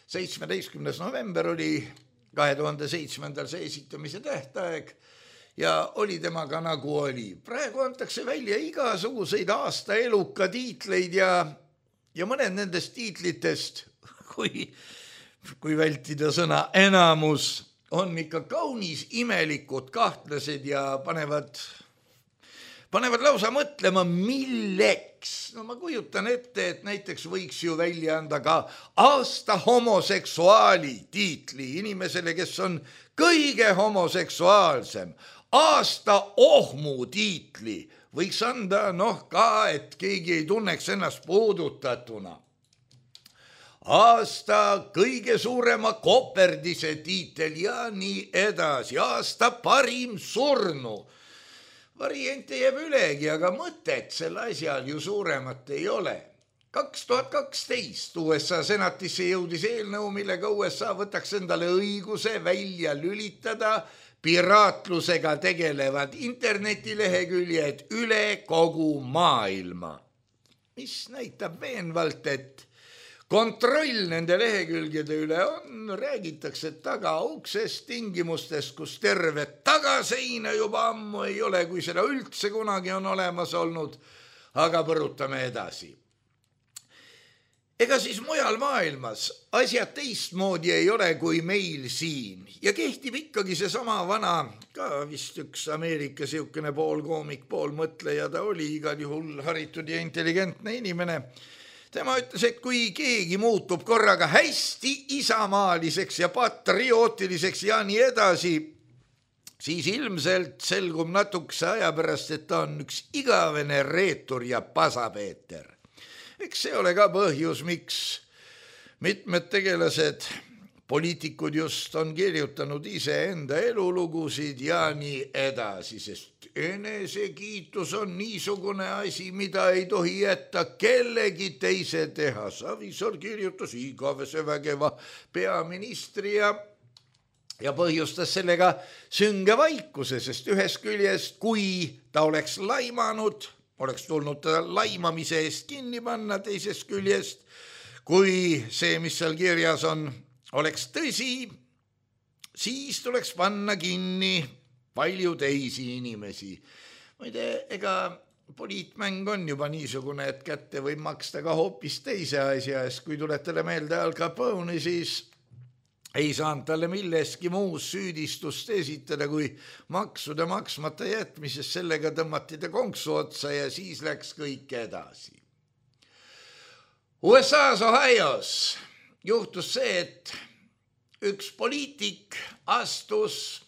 seitsmeteistkümnes november oli kahe tuhande seitsmendal see esitamise tähtaeg ja oli temaga nagu oli. Praegu antakse välja igasuguseid aasta eluka tiitleid ja, ja mõned nendest tiitlitest, kui, kui vältida sõna enamus, on ikka kaunis imelikud, kahtlased ja panevad... panevad lausa mõtlema, milleks. No ma kujutan ette, et näiteks võiks ju välja anda ka aasta homoseksuaali tiitli inimesele, kes on kõige homoseksuaalsem. Aasta ohmu tiitli võiks anda noh ka, et keegi ei tunneks ennast puudutatuna. Aasta kõige suurema koperdise tiitel ja nii edasi. Aasta parim surnu. Variante jääb ülegi, aga mõtet sel asjal ju suuremat ei ole. kaks tuhat kaksteist U S A senatisse jõudis eelnõu, millega U S A võtaks endale õiguse välja lülitada piraatlusega tegelevad internetileheküljed üle kogu maailma. Mis näitab veenvalt, et kontroll nende lehekülgede üle on, räägitakse taga uksest tingimustes, kus tervet tagaseina juba ammu ei ole, kui seda üldse kunagi on olemas olnud, aga põrutame edasi. Ega siis mujal maailmas asjad teistmoodi ei ole kui meil siin ja kehtib ikkagi see sama vana, ka vist üks Ameerika siukene poolkoomik, poolmõtleja ta oli, igal juhul haritud ja intelligentne inimene. Tema ütles, et kui keegi muutub korraga hästi isamaaliseks ja patriootiliseks ja nii edasi, siis ilmselt selgub natukese aja pärast, et ta on üks igavene reetur ja pasapeeter. Eks see ole ka põhjus, miks mitmed tegelased, poliitikud just on kirjutanud ise enda elulugusid ja nii edasi, sest enesekiitus on niisugune asi, mida ei tohi jätta kellegi teise teha. Savisaar kirjutas igavese vägeva peaministri ja, ja põhjustas sellega sünge vaikuse, sest ühest küljest, kui ta oleks laimanud, oleks tulnud ta laimamise eest kinni panna, teisest küljest, kui see, mis seal kirjas on, oleks tõsi, siis tuleks panna kinni palju teisi inimesi. Ma ei tea, ega poliitmäng on juba niisugune, et kätte võib maksta ka hoopis teise asja eest. Kui tuletele meelde Al Capone, siis ei saanud talle milleski muus süüdistust esitada, kui maksude maksmata jätmises. Sellega tõmmati ta konksu otsa ja siis läks kõik edasi. U S A-s Ohio's juhtus see, et üks poliitik astus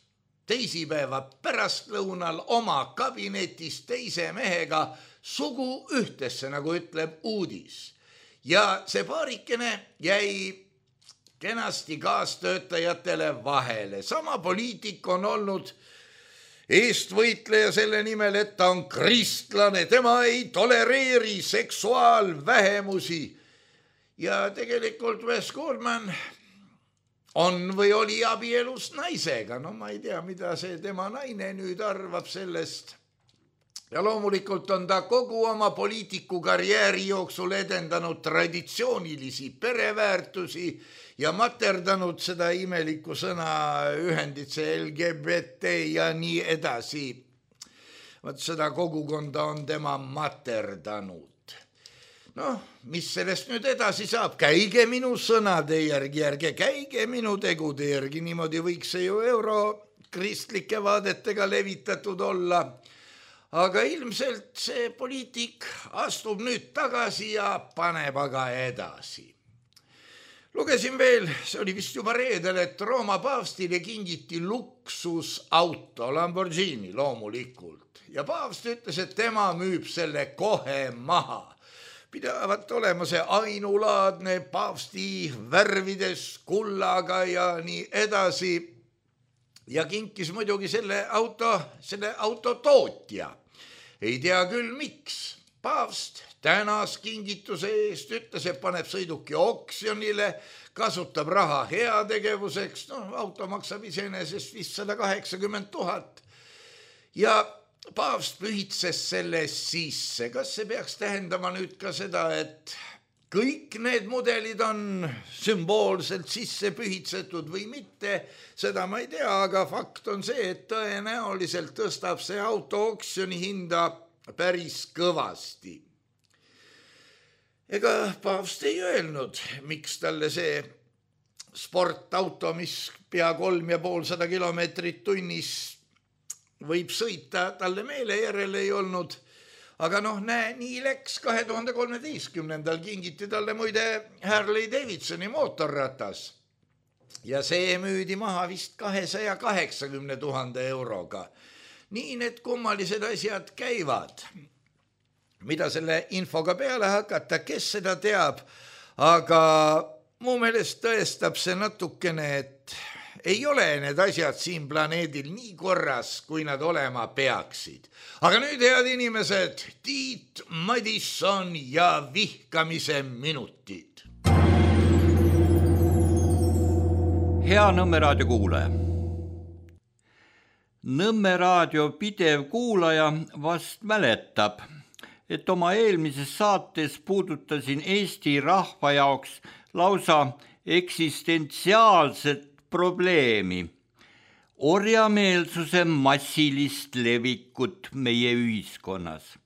teisipäeva pärastlõunal oma kabinetis teise mehega sugu ühtesse, nagu ütleb uudis. Ja see paarikene jäi kenasti kaastöötajatele vahele. Sama poliitik on olnud eestvõitleja selle nimel, et ta on kristlane, tema ei tolereeri seksuaalvähemusi. Ja tegelikult Wes Goldman on või oli abielus naisega. No ma ei tea, mida see tema naine nüüd arvab sellest. Ja loomulikult on ta kogu oma poliitiku karjääri jooksul edendanud traditsioonilisi pereväärtusi ja materdanud seda imelikku sõna ühendit, see L G B T ja nii edasi. Vaat seda kogukonda on tema materdanud. Noh, mis sellest nüüd edasi saab? Käige minu sõnade järgi, järge käige minu tegude järgi. Niimoodi võiks see ju eurokristlike vaadetega levitatud olla. Aga ilmselt see poliitik astub nüüd tagasi ja paneb aga edasi. Lugesin veel, see oli vist juba reedel, et Rooma paavstile kingiti luksusauto, Lamborghini loomulikult. Ja paavst ütles, et tema müüb selle kohe maha. Pidavat olema see ainulaadne paavsti värvides kullaga ja nii edasi. Ja kinkis muidugi selle auto, selle auto tootja. Ei tea küll miks. Paavst tänas kingituse eest, ütles, et paneb sõiduki oksjonile, kasutab raha heategevuseks. No, auto maksab iseenesest viissada kaheksakümmend tuhat. Ja paavst pühitses selle sisse. Kas see peaks tähendama nüüd ka seda, et kõik need mudelid on sümboolselt sisse pühitsetud või mitte? Seda ma ei tea, aga fakt on see, et tõenäoliselt tõstab see auto oksjoni hinda päris kõvasti. Ega paavst ei öelnud, miks talle see sportauto, mis pea kolm ja poolsada kilomeetrit tunnis võib sõita, talle meele järele ei olnud. Aga noh, näe, nii läks kahe tuhande kolmeteistkümnendal kingiti talle muide Harley Davidsoni mootorratas. Ja see müüdi maha vist kahesaja kaheksakümne tuhande euroga. Nii need kummalised asjad käivad. Mida selle infoga peale hakata, kes seda teab, aga mu meelest tõestab see natukene, et ei ole need asjad siin planeedil nii korras, kui nad olema peaksid. Aga nüüd, head inimesed, Tiit Madisson ja vihkamise minutid. Hea Nõmme raadio kuulaja. Nõmme raadio pidev kuulaja vast mäletab, et oma eelmises saates puudutasin Eesti rahva jaoks lausa eksistentsiaalset probleemi, orjameelsuse massilist levikut meie ühiskonnas,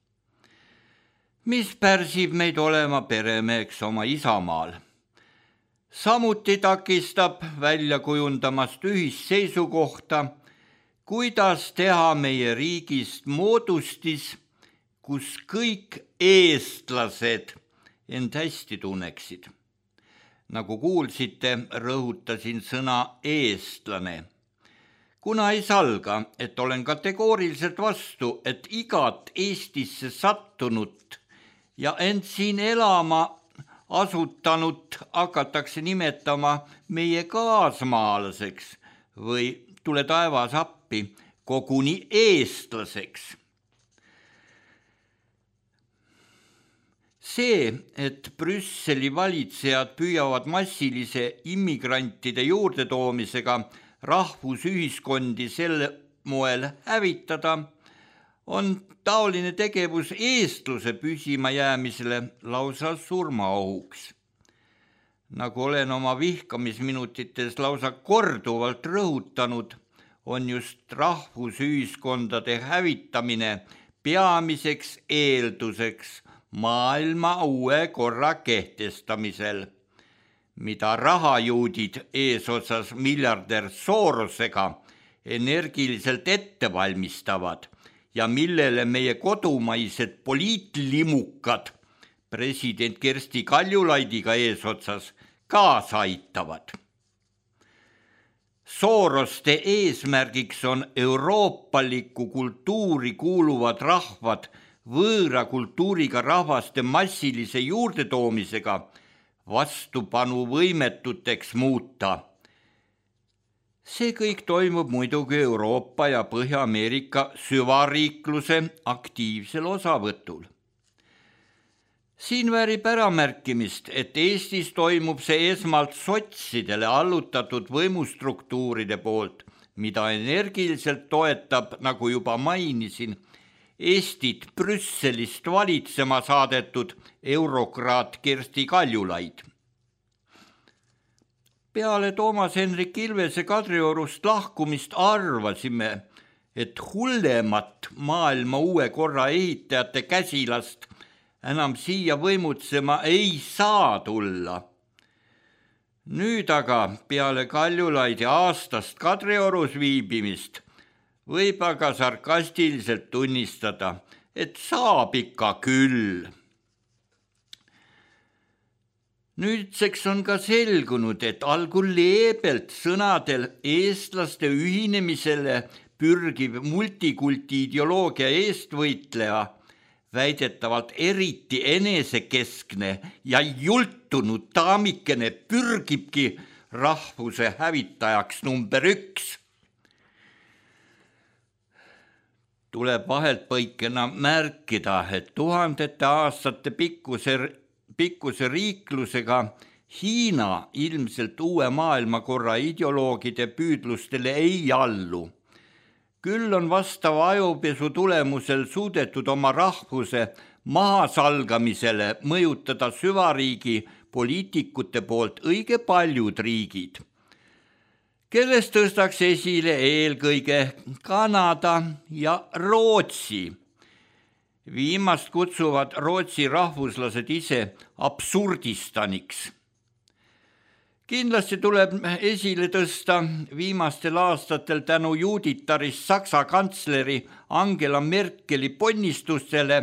mis pärsib meid olema peremeheks oma isamaal. Samuti takistab välja kujundamast ühist seisukohta, kuidas teha meie riigist moodustis, kus kõik eestlased end hästi tunneksid. Nagu kuulsite, rõhutasin sõna eestlane. Kuna ei salga, et olen kategooriliselt vastu, et igat Eestisse sattunut ja end siin elama asutanud hakatakse nimetama meie kaasmaalaseks või tule taevas appi koguni eestlaseks. See, et Brüsseli valitsejad püüavad massilise immigrantide juurdetoomisega rahvusühiskondi selle moel hävitada, on taoline tegevus eestluse püsima jäämisele lausa surmaohuks. Nagu olen oma vihkamisminutites lausa korduvalt rõhutanud, on just rahvusühiskondade hävitamine peamiseks eelduseks maailma uue korra kehtestamisel, mida rahajuudid eesotsas miljardär Sorosega energiliselt ette valmistavad ja millele meie kodumaised poliitlimukad president Kersti Kaljulaidiga eesotsas kaasa aitavad. Soroste eesmärgiks on euroopalikku kultuuri kuuluvad rahvad võõra kultuuriga rahvaste massilise juurdetoomisega vastupanuvõimetuteks muuta. See kõik toimub muidugi Euroopa ja Põhja-Ameerika süvariikluse aktiivsel osavõtul. Siin väärib äramärkimist, et Eestis toimub see esmalt sotsidele allutatud võimustruktuuride poolt, mida energiliselt toetab, nagu juba mainisin, Eestit Brüsselist valitsema saadetud eurokraat Kersti Kaljulaid. Peale Toomas Hendrik Ilvese Kadriorust lahkumist arvasime, et hullemat maailma uue korra ehitajate käsilast enam siia võimutsema ei saa tulla. Nüüd aga peale Kaljulaidi aastast Kadriorus viibimist võib aga sarkastiliselt tunnistada, et saab ikka küll. Nüüdseks on ka selgunud, et algul leebelt sõnadel eestlaste ühinemisele pürgiv multikulti ideoloogia eestvõitleja, väidetavalt eriti enesekeskne ja jultunud daamikene pürgibki rahvuse hävitajaks number üks. Tuleb vahelt põikena märkida, et tuhandete aastate pikkuse, pikkuse riiklusega Hiina ilmselt uue maailmakorra ideoloogide püüdlustele ei allu. Küll on vastava ajupesu tulemusel suudetud oma rahvuse mahasalgamisele mõjutada süvariigi poliitikute poolt õige paljud riigid, kellest tõstaks esile eelkõige Kanada ja Rootsi. Viimast kutsuvad Rootsi rahvuslased ise absurdistaniks. Kindlasti tuleb esile tõsta viimastel aastatel tänu juuditarist Saksa kantsleri Angela Merkeli ponnistustele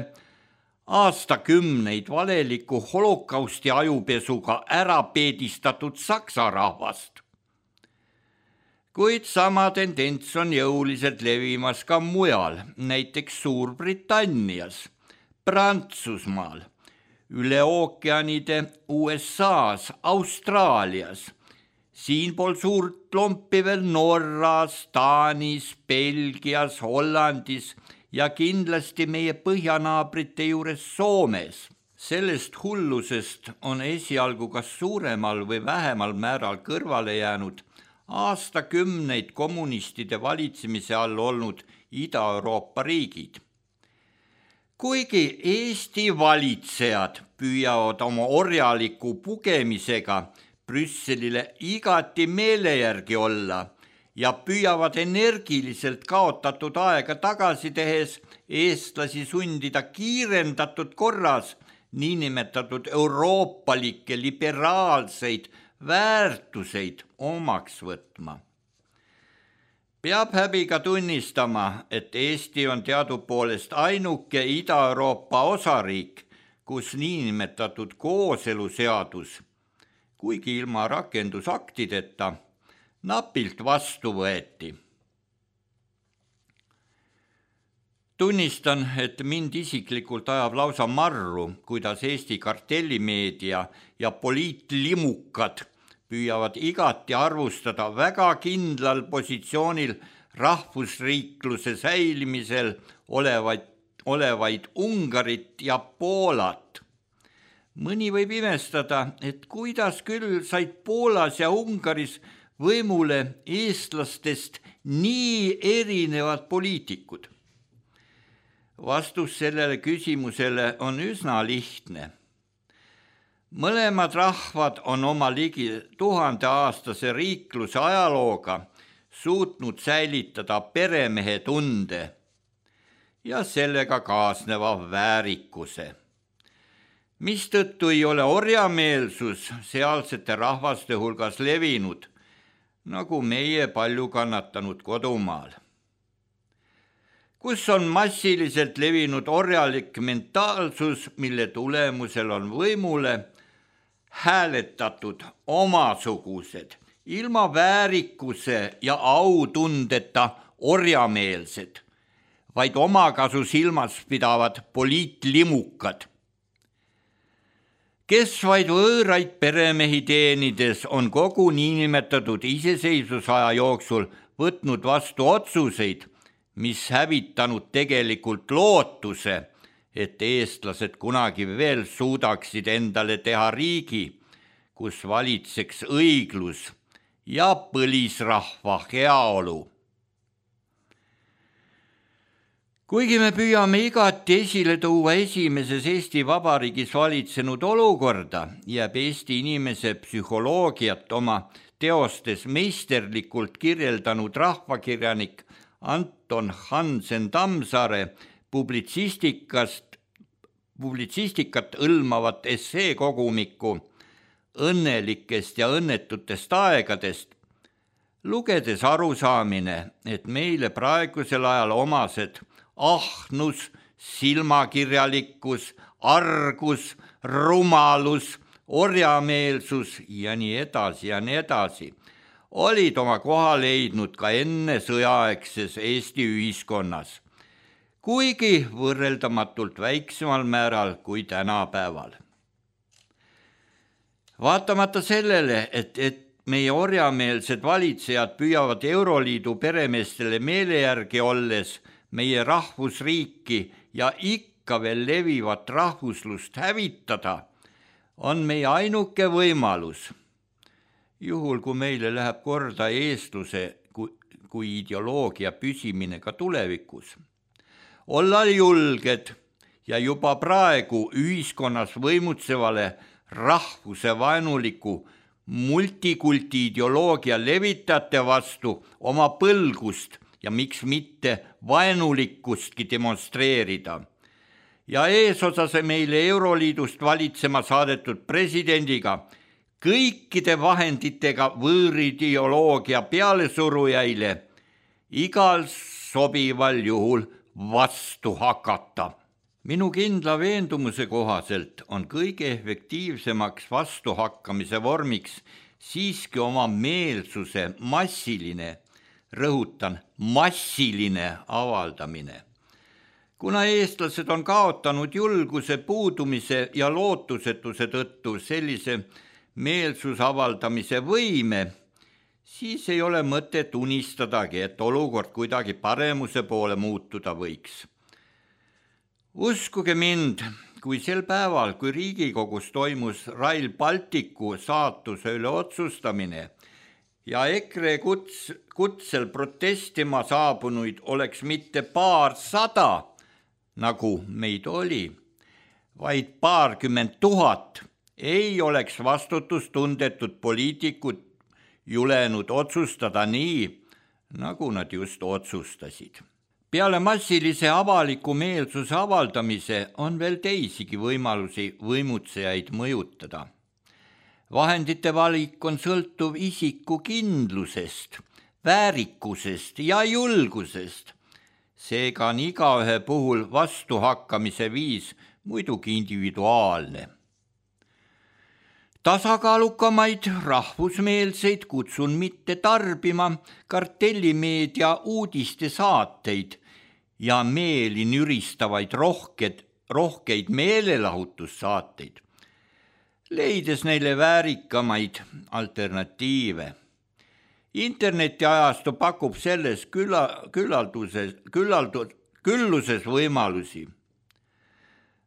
aastakümneid valeliku holokausti ajupesuga ära peedistatud Saksa rahvast. Kuid sama tendents on jõuliselt levimas ka mujal, näiteks Suurbritannias, Prantsusmaal, üle ookeanide U S A-s, Austraalias, siinpool suurt lompi veel Norras, Taanis, Belgias, Hollandis ja kindlasti meie põhjanaabrite juures Soomes. Sellest hullusest on esialgu kas suuremal või vähemal määral kõrvale jäänud aastakümneid kommunistide valitsemise all olnud Ida-Euroopa riigid. Kuigi Eesti valitsejad püüavad oma orjaliku pugemisega Brüsselile igati meele järgi olla ja püüavad energiliselt kaotatud aega tagasi tehes eestlasi sundida kiirendatud korras niinimetatud euroopalikke liberaalseid väärtuseid omaks võtma. Peab häbiga tunnistama, et Eesti on teadupoolest ainuke Ida-Euroopa osariik, kus niinimetatud kooseluseadus, kuigi ilma rakendusaktideta, napilt vastu võeti. Tunnistan, et mind isiklikult ajab lausa marru, kuidas Eesti kartellimeedia ja poliitlimukad püüavad igati arvustada väga kindlal positsioonil rahvusriikluse säilimisel olevaid, olevaid Ungarit ja Poolat. Mõni võib imestada, et kuidas küll said Poolas ja Ungaris võimule eestlastest nii erinevad poliitikud. Vastus sellele küsimusele on üsna lihtne. Mõlemad rahvad on oma ligi tuhandeaastase riikluse ajalooga suutnud säilitada peremehe tunde ja sellega kaasneva väärikuse, mistõttu ei ole orjameelsus sealsete rahvaste hulgas levinud, nagu meie palju kannatanud kodumaal, kus on massiliselt levinud orjalik mentaalsus, mille tulemusel on võimule hääletatud omasugused, ilma väärikuse ja autundeta orjameelsed, vaid omakasu silmas pidavad poliitlimukad, kes vaid võõraid peremehi teenides on kogu niinimetatud iseseisvusaja jooksul võtnud vastu otsuseid, mis hävitanud tegelikult lootuse, et eestlased kunagi veel suudaksid endale teha riigi, kus valitseks õiglus ja põlisrahva heaolu. Kuigi me püüame igati esile tuua esimeses Eesti Vabariigis valitsenud olukorda, jääb Eesti inimese psühholoogiat oma teostes meisterlikult kirjeldanud rahvakirjanik Anton Hansen Tammsaare publitsistikast, publitsistikat hõlmavat esseekogumikku õnnelikest ja õnnetutest aegadest, lugedes arusaamine, et meile praegusel ajal omased ahnus, silmakirjalikkus, argus, rumalus, orjameelsus ja nii edasi ja nii edasi olid oma koha leidnud ka enne sõjaaegses Eesti ühiskonnas, kuigi võrreldamatult väiksemal määral kui tänapäeval. Vaatamata sellele, et, et meie orjameelsed valitsejad püüavad Euroliidu peremeestele meele järgi olles meie rahvusriiki ja ikka veel levivat rahvuslust hävitada, on meie ainuke võimalus, juhul kui meile läheb korda eestluse kui, kui ideoloogia püsimine ka tulevikus, olla julged ja juba praegu ühiskonnas võimutsevale rahvuse vaenuliku multikulti ideoloogia levitajate vastu oma põlgust ja miks mitte vaenulikkustki demonstreerida. Ja eesosas meile Euroliidust valitsema saadetud presidendiga kõikide vahenditega võõrideoloogia pealesurujaile igal sobival juhul vastu hakata. Minu kindla veendumuse kohaselt on kõige efektiivsemaks vastuhakkamise vormiks siiski oma meelsuse massiline, rõhutan, massiline avaldamine. Kuna eestlased on kaotanud julguse puudumise ja lootusetuse tõttu sellise meelsusavaldamise võime, siis ei ole mõtet unistadagi, et olukord kuidagi paremuse poole muutuda võiks. Uskuge mind, kui sel päeval, kui Riigikogus toimus Rail Balticu saatuse üle otsustamine ja EKRE kuts, kutsel protestima saabunuid oleks mitte paar sada, nagu meid oli, vaid paarkümmend tuhat, ei oleks vastutustundetud poliitikud julenud otsustada nii, nagu nad just otsustasid. Peale massilise avaliku meelsuse avaldamise on veel teisigi võimalusi võimutsejaid mõjutada. Vahendite valik on sõltuv isiku kindlusest, väärikusest ja julgusest. Seega on igaühe puhul vastuhakkamise viis muidugi individuaalne. Tasakaalukamaid rahvusmeelseid kutsun mitte tarbima kartellimeedia uudiste saateid ja meeli nüristavaid rohked, rohkeid meelelahutussaateid, leides neile väärikamaid alternatiive. Internetiajastu pakub selles külla, küllalduses, küllaldu, külluses võimalusi.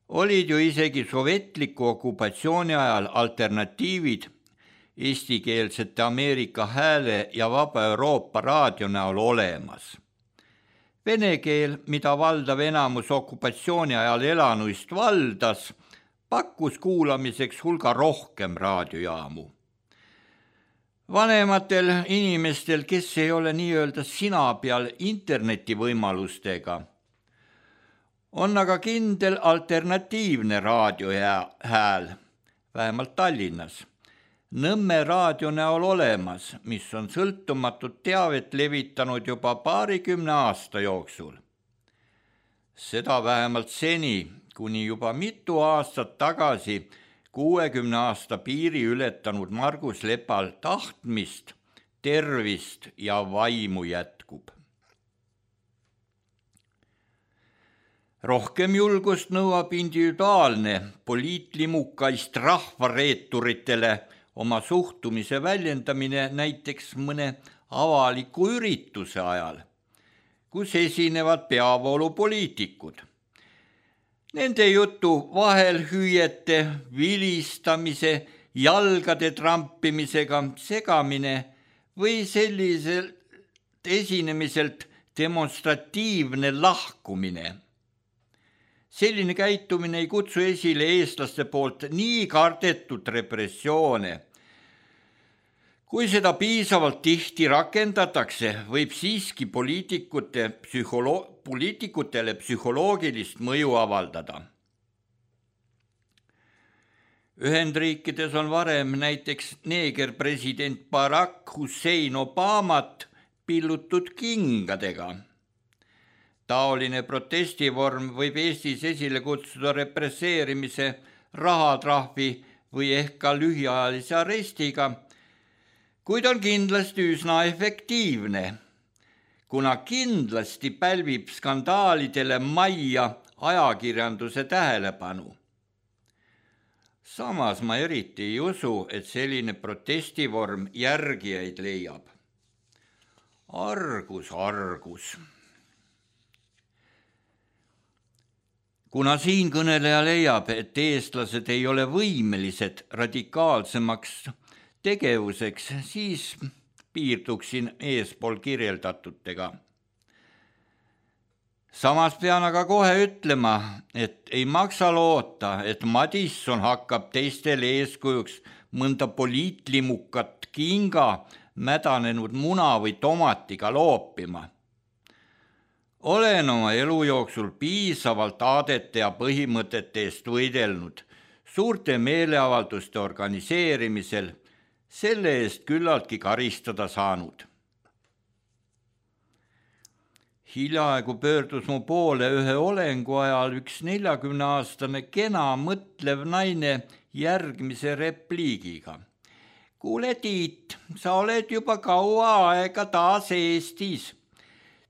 Olid ju isegi sovjetliku okupatsiooni ajal alternatiivid eestikeelsete Ameerika Hääle ja Vaba Euroopa raadio näol olemas. Vene keel, mida valdav enamus okupatsiooni ajal elanuist valdas, pakkus kuulamiseks hulga rohkem raadiojaamu. Vanematel inimestel, kes ei ole nii-öelda sina peal interneti võimalustega, on aga kindel alternatiivne raadiohääl, vähemalt Tallinnas, Nõmme raadio näol olemas, mis on sõltumatut teavet levitanud juba paarikümne aasta jooksul. Seda vähemalt seni, kuni juba mitu aastat tagasi kuuekümne aasta piiri ületanud Margus Lepal tahtmist, tervist ja vaimu jätkub. Rohkem julgust nõuab individuaalne poliitlimukaist rahvareeturitele oma suhtumise väljendamine näiteks mõne avaliku ürituse ajal, kus esinevad peavoolupoliitikud. Nende jutu vahel hüüete, vilistamise, jalgade trampimisega segamine või selliselt esinemiselt demonstratiivne lahkumine. Selline käitumine ei kutsu esile eestlaste poolt nii kardetud repressioone. Kui seda piisavalt tihti rakendatakse, võib siiski poliitikute psühholo- poliitikutele psühholoogilist mõju avaldada. Ühendriikides on varem näiteks neegerpresident Barack Hussein Obamat pillutud kingadega. Taoline protestivorm võib Eestis esile kutsuda represseerimise, rahatrahvi või ehk ka lühiajalise arestiga, kuid on kindlasti üsna efektiivne, kuna kindlasti pälvib skandaalidele majja ajakirjanduse tähelepanu. Samas ma eriti ei usu, et selline protestivorm järgijaid leiab. Argus, argus. Kuna siinkõneleja leiab, et eestlased ei ole võimelised radikaalsemaks tegevuseks, siis piirduksin eespool kirjeldatutega. Samas pean aga kohe ütlema, et ei maksa loota, et Madisson hakkab teistele eeskujuks mõnda poliitlimukat kinga mädanenud muna või tomatiga loopima. Olen oma elu jooksul piisavalt aadete ja põhimõtete eest võidelnud, suurte meeleavalduste organiseerimisel, selle eest küllaltki karistada saanud. Hiljaaegu pöördus mu poole ühe olengu ajal üks neljakümneaastane kena mõtlev naine järgmise repliigiga. Kuule Tiit, sa oled juba kaua aega taas Eestis.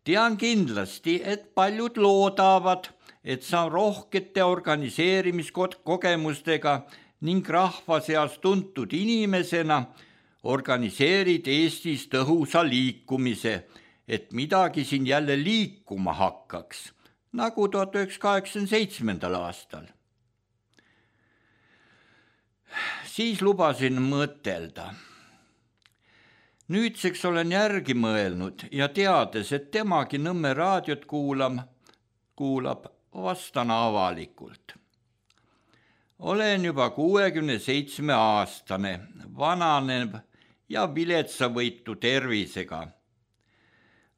Tean kindlasti, et paljud loodavad, et sa rohkete organiseerimiskogemustega ning rahva seas tuntud inimesena organiseerid Eestis tõhusa liikumise, et midagi siin jälle liikuma hakkaks, nagu tuhat üheksasada kaheksakümne seitsmendal aastal. Siis lubasin mõtelda. Nüüdseks olen järgi mõelnud ja teades, et temagi Nõmme raadiot kuulam, kuulab vastana avalikult. Olen juba kuuekümne seitsme aastane, vananev ja viletsavõitu tervisega.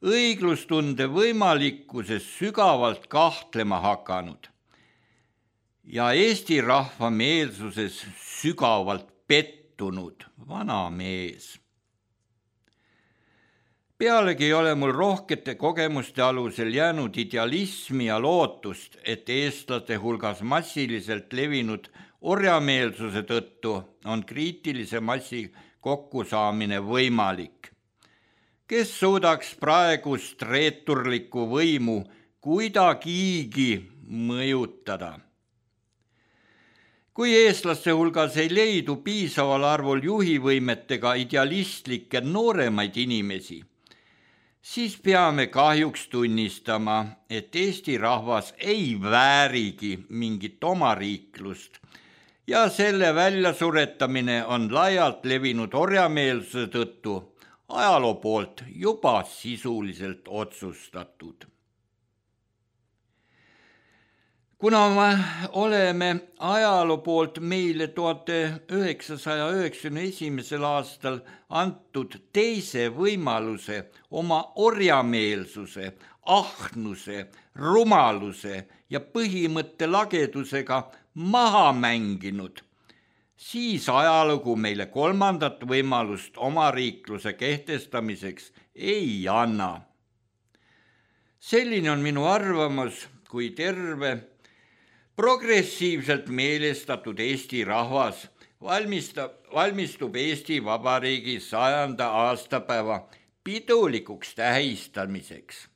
Õiglustunde võimalikkuses sügavalt kahtlema hakanud ja Eesti rahva meelsuses sügavalt pettunud vana mees. Pealegi ei ole mul rohkete kogemuste alusel jäänud idealismi ja lootust, et eestlaste hulgas massiliselt levinud orjameelsuse tõttu on kriitilise massi kokkusaamine võimalik. Kes suudaks praegust reeturlikku võimu kuidagigi mõjutada? Kui eestlaste hulgas ei leidu piisaval arvul juhivõimetega idealistlikke nooremaid inimesi, siis peame kahjuks tunnistama, et Eesti rahvas ei väärigi mingit omariiklust ja selle väljasuretamine on laialt levinud orjameelsuse tõttu ajaloo poolt juba sisuliselt otsustatud. Kuna me oleme ajaloo poolt meile tuhat üheksasaja üheksakümne esimesel aastal antud teise võimaluse oma orjameelsuse, ahnuse, rumaluse ja põhimõtte lagedusega maha mänginud, siis ajalugu meile kolmandat võimalust oma riikluse kehtestamiseks ei anna. Selline on minu arvamus, kui terve progressiivselt meelestatud Eesti rahvas valmistab, valmistub Eesti Vabariigi sajanda aastapäeva pidulikuks tähistamiseks.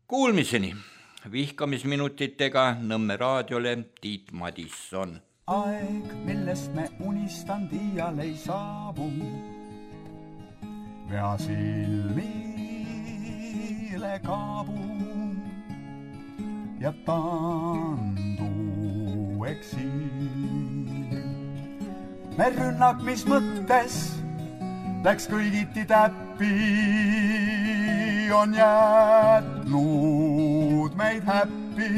Kuulmiseni vihkamisminutitega Nõmme raadiole Tiit Madisson. Aeg, millest me unistan iial ei saabu, vea silmile kaabu ja tandu eksiil. Me rünnak, mis mõttes läks kõigiti täppi, on jätnud meid häppi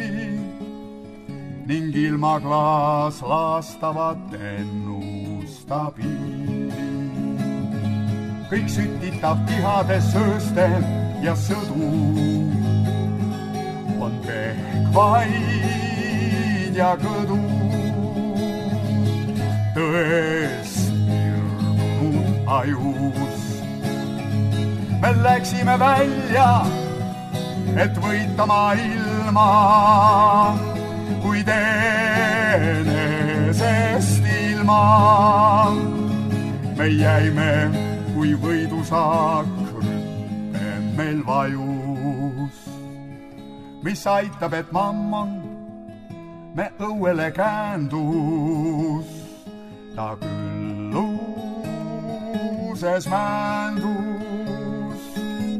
ning ilma klaas laastavat ennustab ilmi. Kõik sütitab tihade sööste ja sõdu, on pehkvaid ja kõdu. Tõest irdunud ajus me läksime välja, et võita maailma, kuid enesest ilma. Me jäime, kui võidusaak rüppe meil vajus, mis aitab, et mammon me õuele käändus. Ta küll luuses määndus,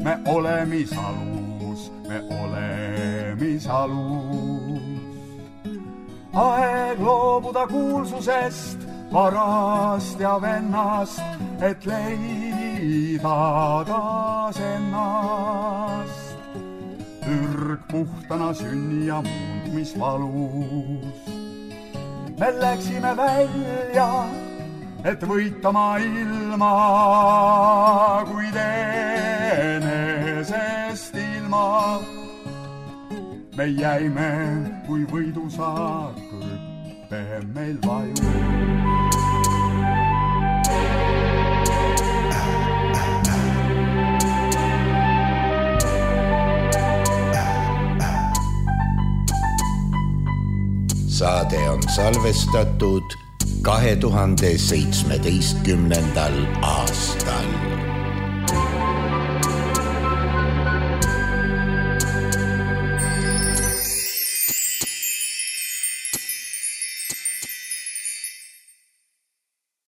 me olemis alus, me olemis alus. Aeg loobuda kuulsusest, varast ja vennast, et leida taas ennast. Ürg puhtana sünni ja muundumisvalus. Me läksime välja, et võita maailma, kuid enesest ilma. Me jäime, kui võidusaak rüppe meil vajus. Saade on salvestatud kahe tuhande seitsmeteistkümnendal aastal.